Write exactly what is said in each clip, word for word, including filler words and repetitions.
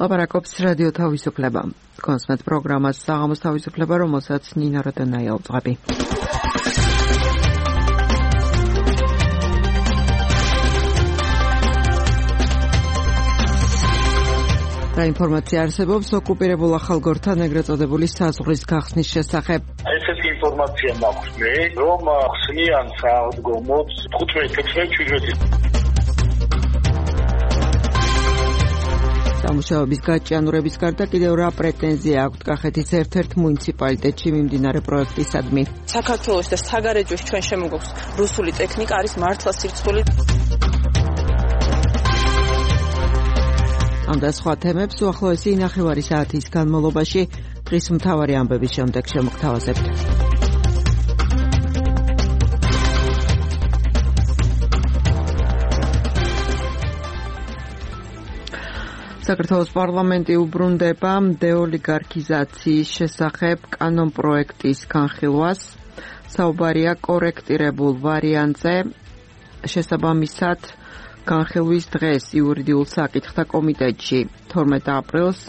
ლაპარაკობს რადიო თავისუფლება. კონსმეთ პროგრამას საღამოს თავისუფლება, რომელსაც ნინა როდონაია უძღვები. რა ინფორმაცია არსებობს ოკუპირებულ ახალგორთან ეგრეთ წოდებული საზღვრის გახსნის შესახებ? ესეთი ინფორმაცია მაქვს მე, რომ ხსნიან საღდგომოებს თხუთმეტი, ექვსმეტი, შვიდმეტი. სამუშაოების გაჭიანურების გარდა კიდევ რა პრეტენზია აქვთ კახეთის ერთ-ერთ მუნიციპალიტეტში მიმდინარე პროექტისადმი? საქართველოს და საგარეჯოს ჩვენ შემოგვაქვს რუსული ტექნიკა, არის მართლა სირცხული. ამ და სხვა თემებს უახლოესი ნახევარი საათის განმავლობაში დღის მთავარი ამბების შემდეგ შემოგთავაზებთ. საქართველოს პარლამენტი უბრუნდება დეოლიგარქიზაციის შესახებ კანონპროექტის განხილვას. საუბარია კორექტირებულ ვარიანტზე. შესაბამისად განხილვის დღეს იურიდიულ საკითხთა კომიტეტში თორმეტ აპრილს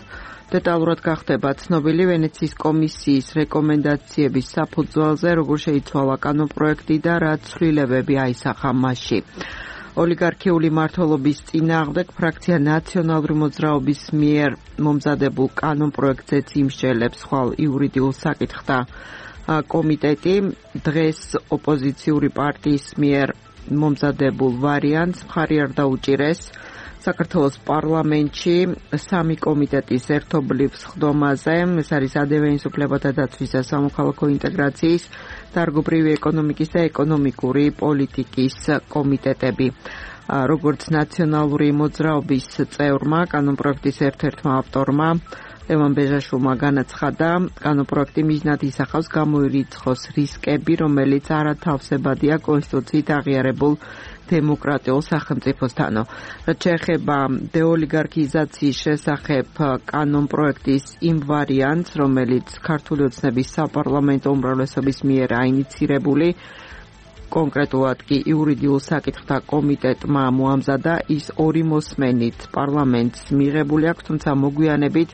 დეტალურად გახდება ცნობილი ვენეციის კომისიის რეკომენდაციების საფუძველზე, როგორ შეიცვალა კანონპროექტი და რა ცვლილებები აისახა მასში. ოლიგარქიული მმართველობის წინააღმდეგ ფრაქცია ნაციონალური მოძრაობის მიერ მომზადებულ კანონპროექტზეც იმსჯელებს ხვალ იურიდიულ საკითხთა კომიტეტი. დღეს ოპოზიციური პარტიის მიერ მომზადებულ ვარიანტს მხარი არ დაუჭირეს. საქართველოს პარლამენტში სამი კომიტეტის ერთობლივ სხდომაზე, ეს არის ადამიანის უფლებათა დაცვის და სამოქალაქო ინტეგრაციის, დარგობრივი ეკონომიკის და ეკონომიკური პოლიტიკის კომიტეტები. როგორც ნაციონალური მოძრაობის წევრმა, კანონპროექტის ერთ-ერთმა ავტორმა ლევან ბეჟაშვილმა განაცხადა, კანონპროექტი მიზნად ისახავს გამოირიცხოს რისკები, რომელიც არათავსებადია კონსტიტუციით აღიარებულ დემოკრატიულ სახელმწიფოსთანო. რაც შეეხება დეოლიგარქიზაციის შესახებ კანონპროექტის იმ ვარიანტს, რომელიც ქართული ოცნების საპარლამენტო უმრავლესობის მიერ აინიცირებული, კონკრეტულად კი იურიდიულ საკითხთა კომიტეტმა მოამზადა, ის ორი მოსმენით პარლამენტს მიღებული აქვს, თუმცა მოგვიანებით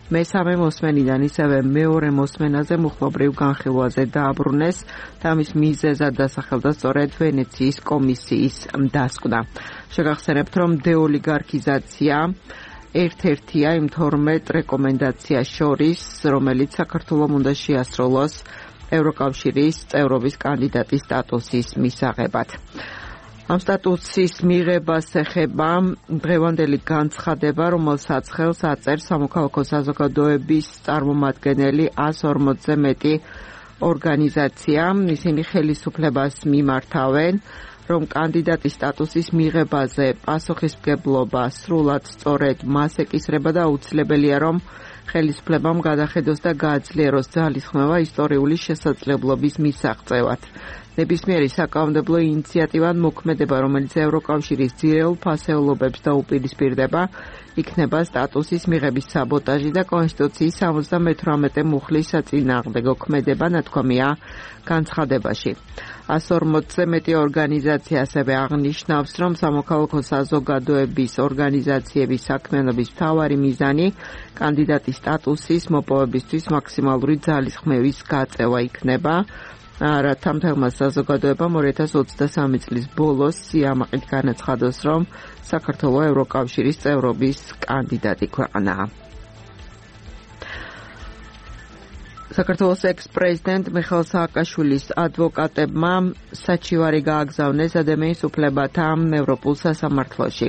მესამე მოსმენიდან ისევე მეორე მოსმენაზე მუხლობრივ განხილვაზე დააბრუნეს და ამის მიზეზად დასახელდა სწორედ ვენეციის კომისიის დასკვნა. შეგახსენებთ, რომ დეოლიგარქიზაცია ერთ-ერთია იმ თორმეტ რეკომენდაციას შორის, რომელიც საქართველოს უნდა შეასრულოს ევროკავშირის წევრობის კანდიდატის სტატუსის მისაღებად. ამ სტატუსის მიღებას ეხება დღევანდელი განცხადება, რომელსაც ხელს აწერს სამოქალაქო საზოგადოების წარმომადგენელი ას ორმოცზე მეტი ორგანიზაცია. ისინი ხელისუფლებას მიმართავენ, რომ კანდიდატის სტატუსის მიღებაზე პასუხისმგებლობა სრულად სწორედ მას ეკისრება და აუცილებელია, რომ ხელისუფლებამ გადახედოს და გააძლიეროს ძალისხმევა ისტორიული შესაძლებლობის მისაღწევად. ნებისმიერი საკანონმდებლო ინიციატივა მოქმედება, რომელიც ევროკავშირის ძირეულ ფასეულობებს დაუპირისპირდება, იქნება სტატუსის მიღების საბოტაჟი და კონსტიტუციის სამოცდამეთვრამეტე მუხლის საწინააღმდეგო ქმედება, ნათქვამია განცხადებაში. ას ორმოცზე მეტი ორგანიზაცია ასევე აღნიშნავს, რომ სამოქალაქო საზოგადოების ორგანიზაციების საქმიანობის მთავარი მიზანი კანდიდატის სტატუსის მოპოვებისთვის მაქსიმალური ძალისხმევის გაწევა იქნება. რათა მთელმა საზოგადოებამ ორი ათას ოცდასამი წლის ბოლოს სიამაყით განაცხადოს, რომ საქართველო ევროკავშირის წევრობის კანდიდატი ქვეყანაა. საქართველოს ექს-პრეზიდენტ მიხეილ სააკაშვილის ადვოკატებმა საჩივარი გააგზავნეს ადამიანის უფლებათა ევროპულ სასამართლოში.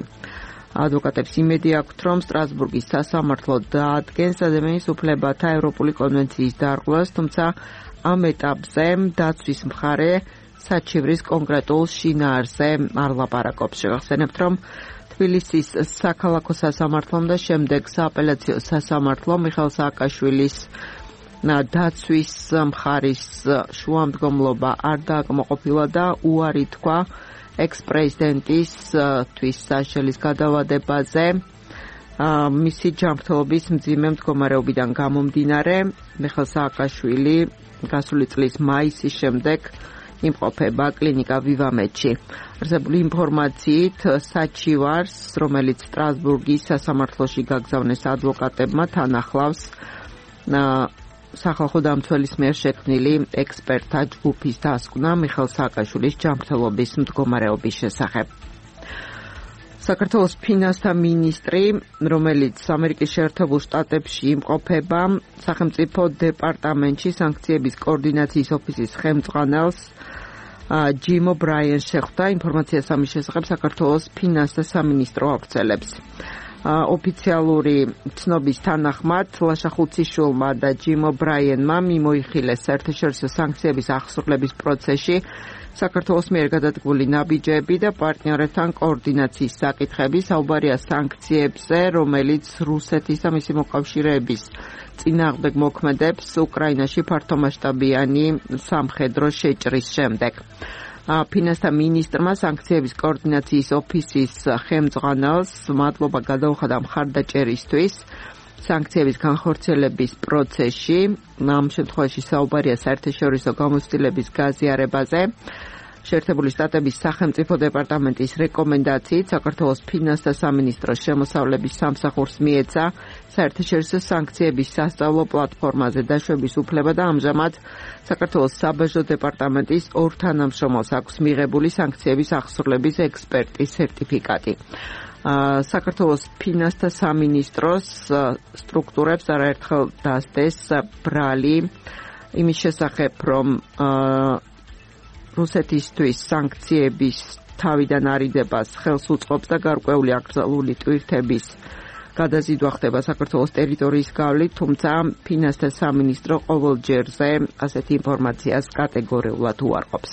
ადვოკატებს იმედი აქვთ, რომ სტრასბურგის სასამართლო დაადგენს ადამიანის უფლებათა ევროპული კონვენციის დარღვევას, თუმცა ამ ეტაპზე დაცვის მხარე საჩივრის კონკრეტულ შინაარსზე არ ლაპარაკობს. შევახსენებთ, რომ თბილისის საქალაქო სასამართლომ და შემდეგ სააპელაციო სასამართლომ მიხეილ სააკაშვილის დაცვის მხარის შუამდგომლობა არ დააკმაყოფილა და უარი თქვა ექს-პრეზიდენტის თვის საშელის გადავადებაზე. მისი ჯანმრთელობის მძიმე მდგომარეობიდან გამომდინარე, მიხეილ სააკაშვილი გასული წლის მაისის შემდეგ იმყოფება კლინიკა ვივამედში. არსებული ინფორმაციით, საჩივარს, რომელიც სტრასბურგის სასამართლოში გაგზავნეს ადვოკატებმა, თან ახლავს სახალხო დამცველის მიერ შექმნილი ექსპერტთა ჯგუფის დასკვნა მიხეილ სააკაშვილის ჯანმრთელობის მდგომარეობის შესახებ. საქართველოს ფინანსთა მინისტრი, რომელიც ამერიკის შეერთებულ შტატებში იმყოფება, სახელმწიფო დეპარტამენტში სანქციების კოორდინაციის ოფისის ხელმძღვანელს ჯიმ ობრაიენს შეხვდა. ინფორმაციას ამის შესახებ საქართველოს ფინანსთა სამინისტრო ავრცელებს. ოფიციალური ცნობის თანახმად ლაშა ხუციშვილმა და ჯიმ ობრაიენმა მიმოიხილეს საერთაშორისო სანქციების აღსრულების პროცესში საქართველოს მიერ გადადგმული ნაბიჯები და პარტნიორებთან კოორდინაციის საკითხები. საუბარია სანქციებზე, რომელიც რუსეთის და მისი მოკავშირეების წინააღმდეგ მოქმედებს უკრაინაში ფართომასშტაბიანი სამხედრო შეჭრის შემდეგ. ფინანსთა მინისტრმა სანქციების კოორდინაციის ოფისის ხელმძღვანელს მადლობა გადაუხადა მხარდაჭერისთვის სანქციების განხორციელების პროცესში. ამ შემთხვევაში საუბარია საერთაშორისო გამოცდილების გაზიარებაზე. შეერთებული შტატების სახელმწიფო დეპარტამენტის რეკომენდაციით საქართველოს ფინანსთა სამინისტროს შემოსავლების სამსახურს მიეცა საერთაშორისო სანქციების სასწავლო პლატფორმაზე დაშვების უფლება და ამჟამად საქართველოს საბაჟო დეპარტამენტის ორ თანამშრომელს აქვს მიღებული სანქციების აღსრულების ექსპერტის სერტიფიკატი. საქართველოს ფინანსთა სამინისტროს სტრუქტურებს არაერთხელ დასდეს ბრალი იმის შესახებ, რომ რუსეთისთვის სანქციების თავიდან არიდებას ხელს უწყობს და გარკვეული აკრძალული ტვირთების გადაზიდვა ხდება საქართველოს ტერიტორიის გავლით, თუმცა ფინანსთა სამინისტრო ყოველ ჯერზე ასეთი ინფორმაციას კატეგორიულად უარყოფს.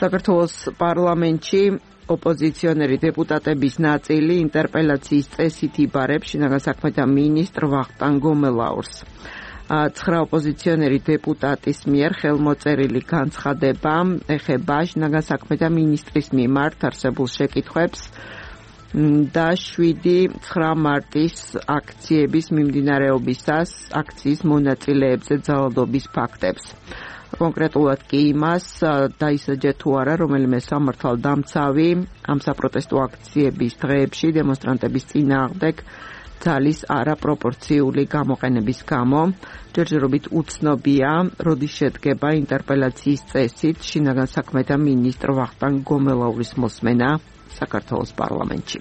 საქართველოს პარლამენტში ოპოზიციონერი დეპუტატების ნაწილი ინტერპელაციის წესით იბარებს შინაგან საქმეთა მინისტრ ვახტანგ გომელაურს. ცხრა ოპოზიციონერი დეპუტატის მიერ ხელმოწერილი განცხადება ეხება შინაგან საქმეთა მინისტრის მიმართ არსებულ შეკითხვებს და შვიდი ცხრა მარტის აქციების მიმდინარეობისას აქციის მონაწილეებზე ძალადობის ფაქტებს. კონკრეტულად კი იმას დაისაჯა თუ არა რომელიმე სამართალდამცავი ამ საპროტესტო აქციების დღეებში დემონსტრანტების წინააღმდეგ ძალის არაპროპორციული გამოყენების გამო. ჯერჯერობით უცნობია, როდის შედგება ინტერპელაციის წესით შინაგან საქმეთა მინისტრ ვახტანგ გომელაურის მოსმენა საქართველოს პარლამენტში.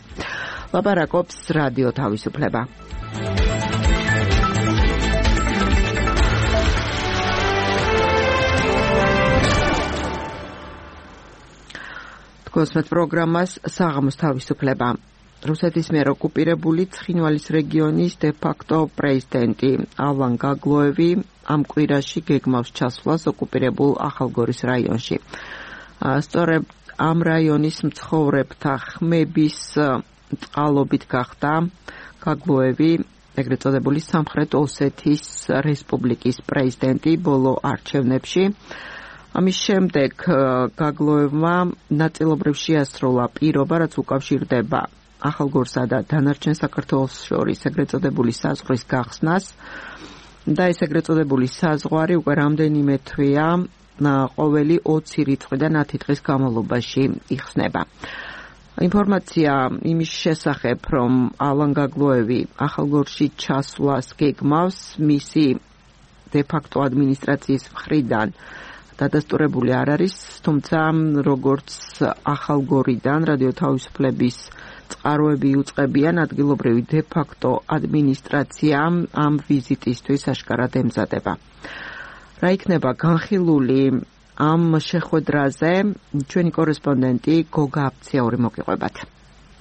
ლაპარაკობს რადიო თავისუფლება. თქოსმეთ პროგრამას საღამოს თავისუფლება. რუსეთის მიერ ოკუპირებული ცხინვალის რეგიონის დე-ფაქტო პრეზიდენტი ალან გაგლოევი ამ კვირაში გეგმავს ჩასვლას ოკუპირებულ ახალგორის რაიონში. სწორედ ამ რაიონის მცხოვრებთა ხმების წყალობით გახდა გაგლოევი ეგრეთ წოდებული სამხრეთ ოსეთის რესპუბლიკის პრეზიდენტი ბოლო არჩევნებში. ამის შემდეგ გაგლოევმა ნაწილობრივ შეასრულა პირობა, რაც უკავშირდება ახალგორსა და დანარჩენ საქართველოს შორის ეგრეთ წოდებული საზღვრის გახსნას და ეს ეგრეთ წოდებული საზღვარი უკვე რამდენიმე თვეა ყოველი ოცი რიცხვიდან ათი დღის განმავლობაში იხსნება. ინფორმაცია იმის შესახებ, რომ ალან გაგლოევი ახალგორში ჩასვლას გეგმავს, მისი დე-ფაქტო ადმინისტრაციის მხრიდან დადასტურებული არ არის, თუმცა როგორც ახალგორიდან რადიო თავისუფლების წყაროები იუწყებიან, ადგილობრივი დე-ფაქტო ადმინისტრაცია ამ ვიზიტისთვის აშკარად ემზადება. რა იქნება განხილული ამ შეხვედრაზე, ჩვენი კორესპონდენტი გოგა აფციაური მოგიყვებათ.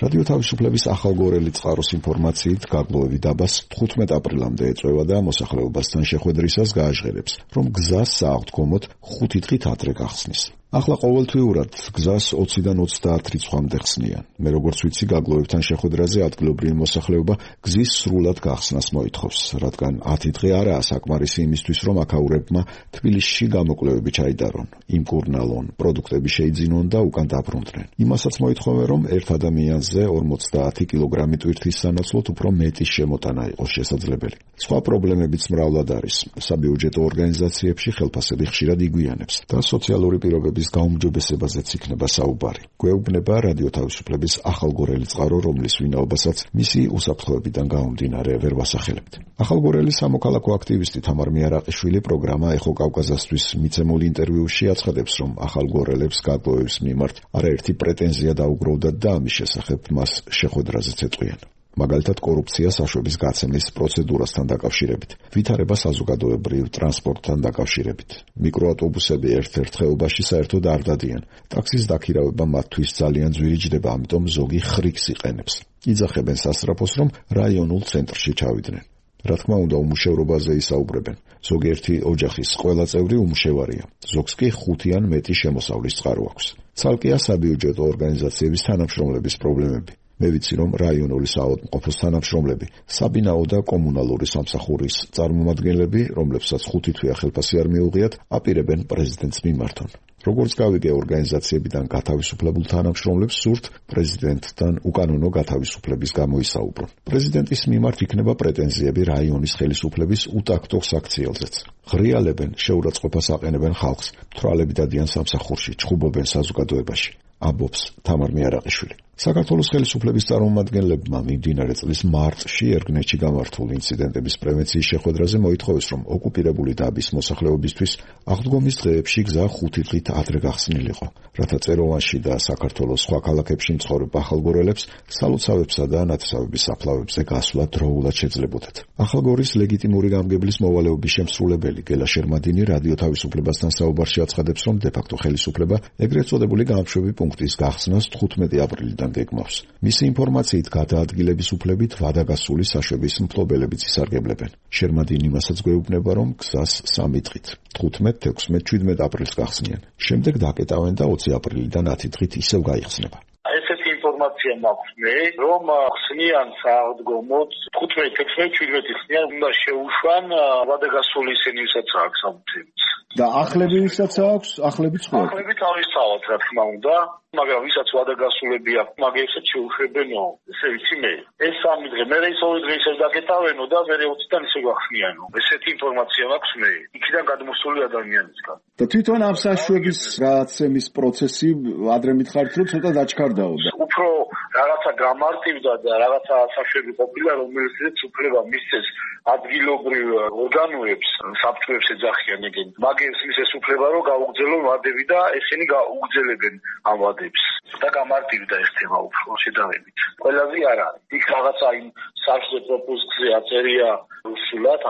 რადიო თავისუფლების ახალგორელი წყაროს ინფორმაციით გაგლოევი დაბას თხუთმეტ აპრილამდე ეწევა და მოსახლეობასთან შეხვედრისას გააჟღერებს, რომ გზას სააღდგომოდ ხუთი დღით ადრე გახსნის. ახლა ყოველთვიურად გზას ოციდან ოცდაათ რიცხვამდე ხსნიან. მე როგორც ვიცი, გაგლოევთან შეხვედრაზე ადგილობრივი მოსახლეობა გზის სრულად გახსნას მოითხოვს, რადგან ათი დღე არაა საკმარისი იმისთვის, რომ აქაურებმა თბილისში გამოკვლევები ჩაიდარონ, იმკურნალონ, პროდუქტები შეიძინონ და უკან დაბრუნდნენ. იმასაც მოითხოვენ, რომ ერთ ადამიანზე ორმოცდაათი კილოგრამი ტვირთის სანაცვლოდ უფრო მეტის შემოტანა იყოს შესაძლებელი. სხვა პრობლემებიც მრავლად არის. საბიუჯეტო ორგანიზაციებში ხელფასები ხშირად იგვიანებს და სოციალური პირობების ხელისუფლების გაუმჯობესებაზეც იქნება საუბარი. გვეუბნება რადიო თავისუფლების ახალგორელი წყარო, რომლის ვინაობასაც მისი უსაფრთხოებიდან გამომდინარე ვერ ვასახელებთ. ახალგორელი სამოქალაქო აქტივისტი თამარ მიარაყიშვილი პროგრამა ეხო კავკაზასთვის მიცემულ ინტერვიუში აცხადებს, რომ ახალგორელებს გაგვევის მიმართ არაერთი პრეტენზია დაუგროვდათ და ამის შესახებ მას შეხვედრაზეც ეტყვიან. მაგალითად კორუფცია საშვების გაცემის პროცედურასთან დაკავშირებით, ვითარება საზოგადოებრივ ტრანსპორტთან დაკავშირებით. მიკროავტობუსები ერთ-ერთ ხეობაში საერთოდ არ დადიან. ტაქსის დაქირავება მათთვის ძალიან ძვირი ჯდება, ამიტომ ზოგი ხრიკს იყენებს. იძახებენ სასწრაფოს, რომ რაიონულ ცენტრში ჩავიდნენ. რა თქმა უნდა, უმუშევრობაზე ისაუბრებენ. ზოგიერთი ოჯახის ყველა წევრი უმუშევარია. ზოგს კი ხუთი ან მეტი შემოსავლის წყარო აქვს. ცალკეა საბიუჯეტო ორგანიზაციების თანამშრომლების პრობლემები. მე ვიცი, რომ რაიონული საავადმყოფოს თანამშრომლები, საბინაო და კომუნალური სამსახურის წარმომადგენლები, რომლებსაც ხუთი თვეა ხელფასი არ მიუღიათ, აპირებენ პრეზიდენტს მიმართონ. როგორც გავიგე, ორგანიზაციებიდან გათავისუფლებულ თანამშრომლებს სურთ პრეზიდენტთან უკანონო გათავისუფლების გამოისაუბრონ. პრეზიდენტის მიმართ იქნება პრეტენზიები რაიონის ხელისუფლების უტაქტო საქციელზეც. ღრიალებენ, შეურაცხყოფას აყენებენ ხალხს, თვალები დადიან სამსახურში, ჩხუბობენ საზოგადოებაში. ამბობს თამარ მიარაყიშვილი. საქართველოს ხელისუფლების წარმომადგენლებმა მიმდინარე წლის მარტში ერგნეთში გამართულ ინციდენტების პრევენციის შეხვედრაზე მოითხოვეს, რომ ოკუპირებული დაბის მოსახლეობისთვის აღდგომის დღეებში გზა ხუთი დღით ადრე გახსნილიყო, რათა წეროვანში და საქართველოს სხვა ქალაქებში მცხოვრებ ახალგორელებს სალოცავებსა და ნათესავების საფლავებზე გასვლა დროულად შეძლებოდათ. ახალგორის ლეგიტიმური გამგებლის მოვალეობის შემსრულებელი გელა შერმადინი რადიო თავისუფლებასთან საუბარში აცხადებს, რომ დე-ფაქტო ხელისუფლება ეგრეთ წოდებული გამშვები პუნქტის გახსნას თხუთმეტი აპრილიდან გეგმავს. მისი ინფორმაციით გადაადგილების უფლებით ვადაგასული საშვების მფლობელებიც ისარგებლებენ. შერმადინი მასაც გვეუბნება, რომ გზას სამი დღით თხუთმეტ, თექვსმეტ, შვიდმეტ აპრილს გახსნიან. შემდეგ დაკეტავენ და ოცი აპრილიდან ათი დღით ისევ გაიხსნება. ესეთი ინფორმაცია მაქვს მე, რომ ხსნიან საავადმყოფოდ თხუთმეტ, თექვსმეტ, შვიდმეტ ხსნიან, უნდა შეუშვან ვადაგასული ისინი, ვისაც აქვს ამბებით. და ახლები ვისაც აქვს, ახლები სხვა. ახლები თავისთავად, რა თქმა უნდა, მაგრამ ვისაც ვადაგასულები აქვს, მაგესაც შეუშვებენო. ესე ვიცი მე. ეს სამი დღე, მე ის ორი დღე ისევ დაკეტავენო და მე ოციდან ისევ გახსნიანო. ესეთი ინფორმაცია მაქვს მე. იქიდან გადმოსული ადამიანისგან. და თვითონ ამ საშვების გაცემის პროცესი ადრე მითხარით, რომ ცოტა დაჩქარდაო და უფრო რაღაცა გამარტივდა და რაღაცა საშვები ყოფილა, რომელსაც უფლება მისცეს ადგილობრივ ორგანოებს, საბჭოებს ეძახიან ეგენ. მაგებს მისცეს უფლება, რომ გაუგრძელონ ვადები და ესენი გაუგრძელებენ ამ ვადებს. და გამარტივდა ეს თემა უფრო შედარებით. ყველაზე არ არის. იქ რაღაცა იმ საშუალო პროპოზიციაზე აწერია რუსულად,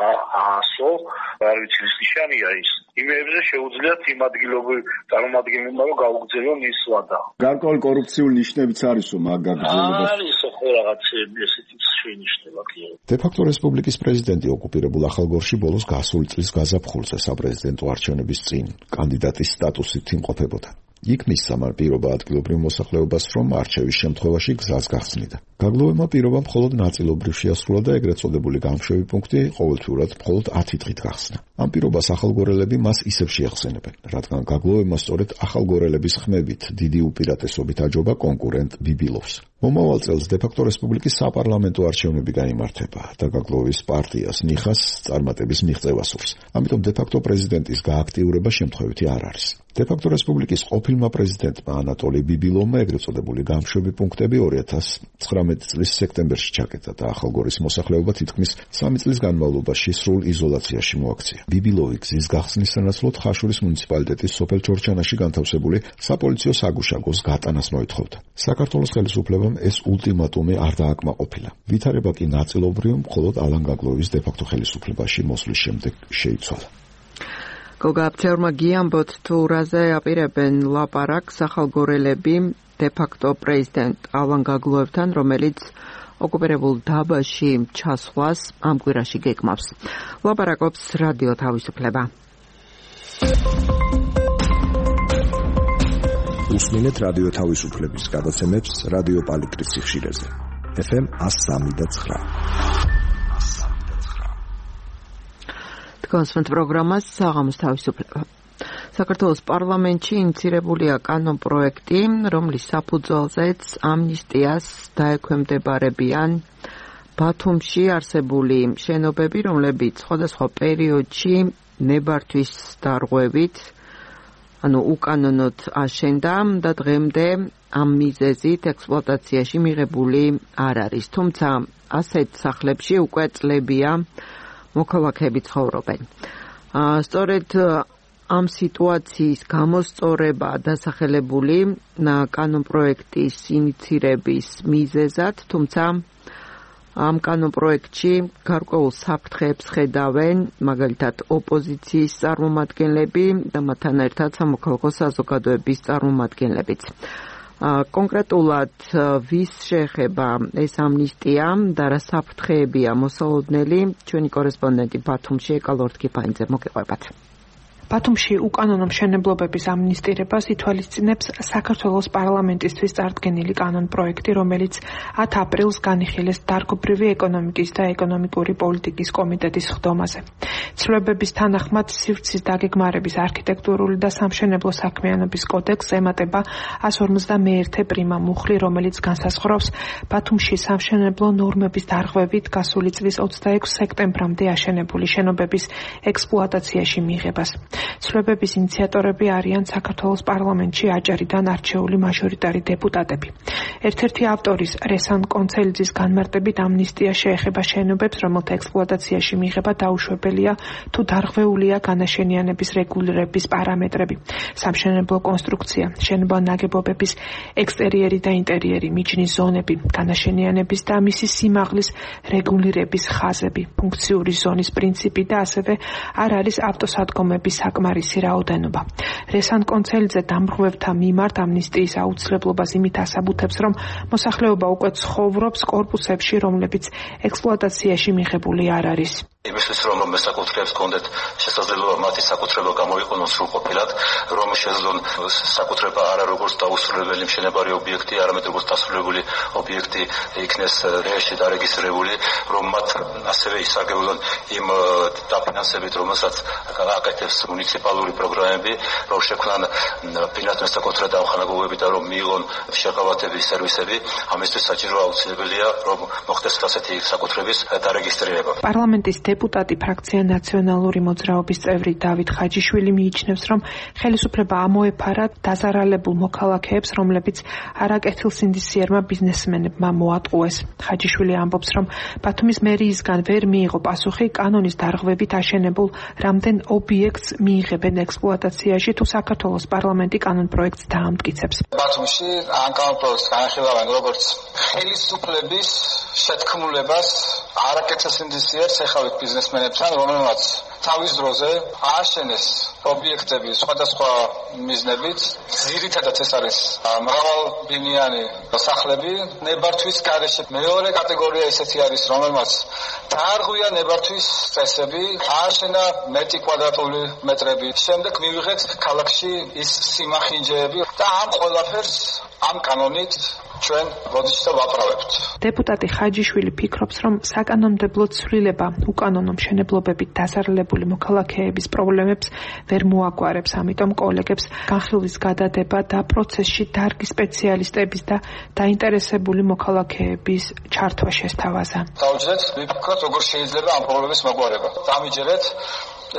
ასო, არ ვიცი ის ნიშანია ის. იმეებზე შეუძლიათ იმ ადგილობრივ წარმომადგენლებმა, რომ გაუგრძელონ ის ვადა. გარკვეული კორუფციული ნიშნებიც არისო მაგ გაგრძელებას. არის ხო რაღაცები ესეთი შეინიშნება კი. დე-ფაქტო რესპუბლიკის პრეზიდენტი ოკუპირებულ ახალგორში ბოლოს გასული წლის გაზაფხულზე საპრეზიდენტო არჩევნების წინ კანდიდატის სტატუსით იმყოფებოდა. იქ მისცა მან პირობა ადგილობრივ მოსახლეობას, რომ არჩევის შემთხვევაში გზას გახსნიდა. გაგლოვებმა პირობა მხოლოდ ნაწილობრივ შეასრულა და ეგრეთ წოდებული გამშვები პუნქტი ყოველთვიურად მხოლოდ ათი დღით გახსნა. ამ პირობას ახალგორელები მას ისევ შეეხსენებენ, რადგან გაგლოვებმა სწორედ ახალგორელების ხმებით დიდი უპირატესობით აჯობა კონკურენტ ბიბილოვს. მომავალ წელს დე-ფაქტო რესპუბლიკის საპარლამენტო არჩევნები გაიმართება და გაგლოვის პარტიას ნიხას წარმატების მიღწევა სურს. ამიტომ დე-ფაქტო პრეზიდენტის გააქტიურება შემთხვევითი არ არის. დე-ფაქტო რესპუბლიკის ყოფილმა პრეზიდენტმა ანატოლი ბიბილოვმა ეგრეთ წოდებული გამშვები პუნქტები ორი ათას ცხრამეტი წლის სექტემბერში ჩაკეტა და ახალგორის მოსახლეობა თითქმის სამი წლის განმავლობაში სრულ იზოლაციაში მოაქცია. ბიბილოვი გზის გახსნის სანაცვლოდ ხაშურის მუნიციპალიტეტის სოფელ ჩორჩანაში განთავსებული საპოლიციო საგუშაგოს გატანას მოითხოვდა. საქართველოს ხელისუფლებამ ეს ულტიმატუმი არ დააკმაყოფილა. ვითარება კი ნაწილობრივ მხოლოდ ალან გაგლოვის დე-ფაქტო ხელისუფლებაში მოსვლის შემდეგ შეიცვალა. გოგა აფჩევრმა გიამბოთ თუ რაზე აპირებენ ლაპარაკს ახალგორელები დე-ფაქტო პრეზიდენტ ალან გაგლოევთან, რომელიც ოკუპირებულ დაბაში ჩასვლას ამ კვირაში გეგმავს. ლაპარაკობს რადიო თავისუფლება. უსმინეთ რადიო თავისუფლების გადაცემებს რადიო პალიტრის სიხშირეზე. ეფ ემ one oh three point nine. კონსვენთ პროგრამას საღამოს თავისუფლება. საქართველოს პარლამენტში ინიცირებულია კანონპროექტი, რომლის საფუძველზეც ამნისტიას დაექვემდებარებიან ბათუმში არსებული შენობები, რომლებიც სხვადასხვა პერიოდში ნებართვის დარღვევით ანუ უკანონოდ აშენდა და დღემდე ამ მიზეზით ექსპლუატაციაში მიღებული არ არის. თუმცა ასეთ სახლებში უკვე წლებია მოქალაქეები ცხოვრობენ. სწორედ ამ სიტუაციის გამოსწორება დასახელებული კანონპროექტის ინიცირების მიზეზად, თუმცა ამ კანონპროექტში გარკვეულ საფრთხეებს ხედავენ მაგალითად ოპოზიციის წარმომადგენლები და მათთან ერთად სამოქალაქო საზოგადოების წარმომადგენლებიც. კონკრეტულად ვის შეეხება ეს ამნისტია და რა საფრთხეებია მოსალოდნელი, ჩვენი კორესპონდენტი ბათუმში ეკალორდ კიფაინძე მოგიყვებათ. ბათუმში უკანონო მშენებლობების ამნისტირებას ითვალისწინებს საქართველოს პარლამენტისთვის წარდგენილი კანონპროექტი, რომელიც ათი აპრილს განიხილეს დარგობრივი ეკონომიკის და ეკონომიკური პოლიტიკის კომიტეტის ხდომაზე. ცვლილებების თანახმად სივრცის დაგეგმარების არქიტექტურული და სამშენებლო საქმიანობის კოდექსს ემატება εκατს ორმოცდამეერთე პრიმა მუხლი, რომელიც განსაზღვრავს ბათუმში სამშენებლო ნორმების დარღვევით გასული წლის ოცდაექვსი სექტემბრამდე აშენებული შენობების ექსპლუატაციაში მიღებას. ცვლილებების ინიციატორები არიან საქართველოს პარლამენტში აჭარიდან არჩეული მაჟორიტარი დეპუტატები. ერთ-ერთი ავტორის რესან კონცელიძის განმარტებით ამნისტია შეეხება შენობებს, რომელთა ექსპლუატაციაში მიღება დაუშვებელია თუ დარღვეულია განაშენიანების რეგულირების პარამეტრები, სამშენებლო კონსტრუქცია, შენობა ნაგებობების ექსტერიერი და ინტერიერი, მიჯნის ზონები, განაშენიანების და მისი სიმაღლის რეგულირების ხაზები, ფუნქციური ზონის პრინციპი და ასევე არ არის ავტოსადგომების საკმარისი რაოდენობა. რესან კონცელიძე დამრღვევთა მიმართ ამნისტიის აუცილებლობას იმით ასაბუთებს, რომ მოსახლეობა უკვე ცხოვრობს კორპუსებში, რომლებიც ექსპლუატაციაში მიღებული არ არის. იმისთვის რომ მესაკუთრეებს კონდეთ შესაძლებლობა მათი საკუთრება გამოიყენონ სრულყოფილად, რომ შეძლონ საკუთრება არა როგორც დაუსრულებელი მშენებარე ობიექტი, არამედ როგორც დასრულებული ობიექტი იქნეს რეესში დარეგისტრირებული, რომ მათ ასევე ისარგებლონ იმ დაფინანსებით, რომელსაც აკეთებს მუნიციპალური პროგრამები, რომ შექმნან ფინანსური მესაკუთრე დამხმარებლობები და რომ მიიღონ შეღავათების სერვისები. ამისთვის საჭირო აუცილებელია, რომ მოხდეს ასეთი საკუთრების დარეგისტრირება. პარლამენტის დეპუტატი ფრაქცია ნაციონალური მოძრაობის წევრი დავით ხაჯიშვილი მიიჩნევს, რომ ხელისუფლება ამოეფარა დაზარალებულ მოქალაქეებს, რომლებიც არაკეთილსინდისიერმა ბიზნესმენებმა მოატყუეს. ხაჯიშვილი ამბობს, რომ ბათუმის მერიისგან ვერ მიიღო პასუხი კანონის დარღვევით აშენებულ რამდენ ობიექტს მიიღებენ ექსპლუატაციაში, თუ საქართველოს პარლამენტი კანონპროექტს დაამტკიცებს. ბათუმში ამ კანონპროექტს განხილავენ როგორც ხელისუფლების შეთქმულებას არაკეთილსინდისიერს ეხავით ბიზნესმენებთან, რომელმაც თავის დროზე ააშენეს ობიექტები სხვადასხვა მიზნებით. ძირითადად ეს არის მრავალბინიანი სახლები ნებართვის გარეშე. მეორე კატეგორია ისეთი არის, რომელმაც დაარღვია ნებართვის წესები, ააშენა მეტი კვადრატული მეტრები. შემდეგ მივიღეთ ქალაქში ის სიმახინჯეები და ამ ყველაფერს ამ კანონით ჩვენ როდესაც ვაправებთ. დეპუტატი ხაჯიშვილი ფიქრობს, რომ საკანონმდებლო ცვლილება უკანონო მშენებლობებით დასარალებული მოქალაქეების პრობლემებს ვერ მოაგვარებს, ამიტომ კოლეგებს განხილვის გადადება და პროცესში დარგის სპეციალისტების და დაინტერესებული მოქალაქეების ჩართვა შესთავაზა. დავუჯდეთ, ვიფიქროთ, როგორ შეიძლება ამ პრობლემის მოგვარება. დამიჯერეთ,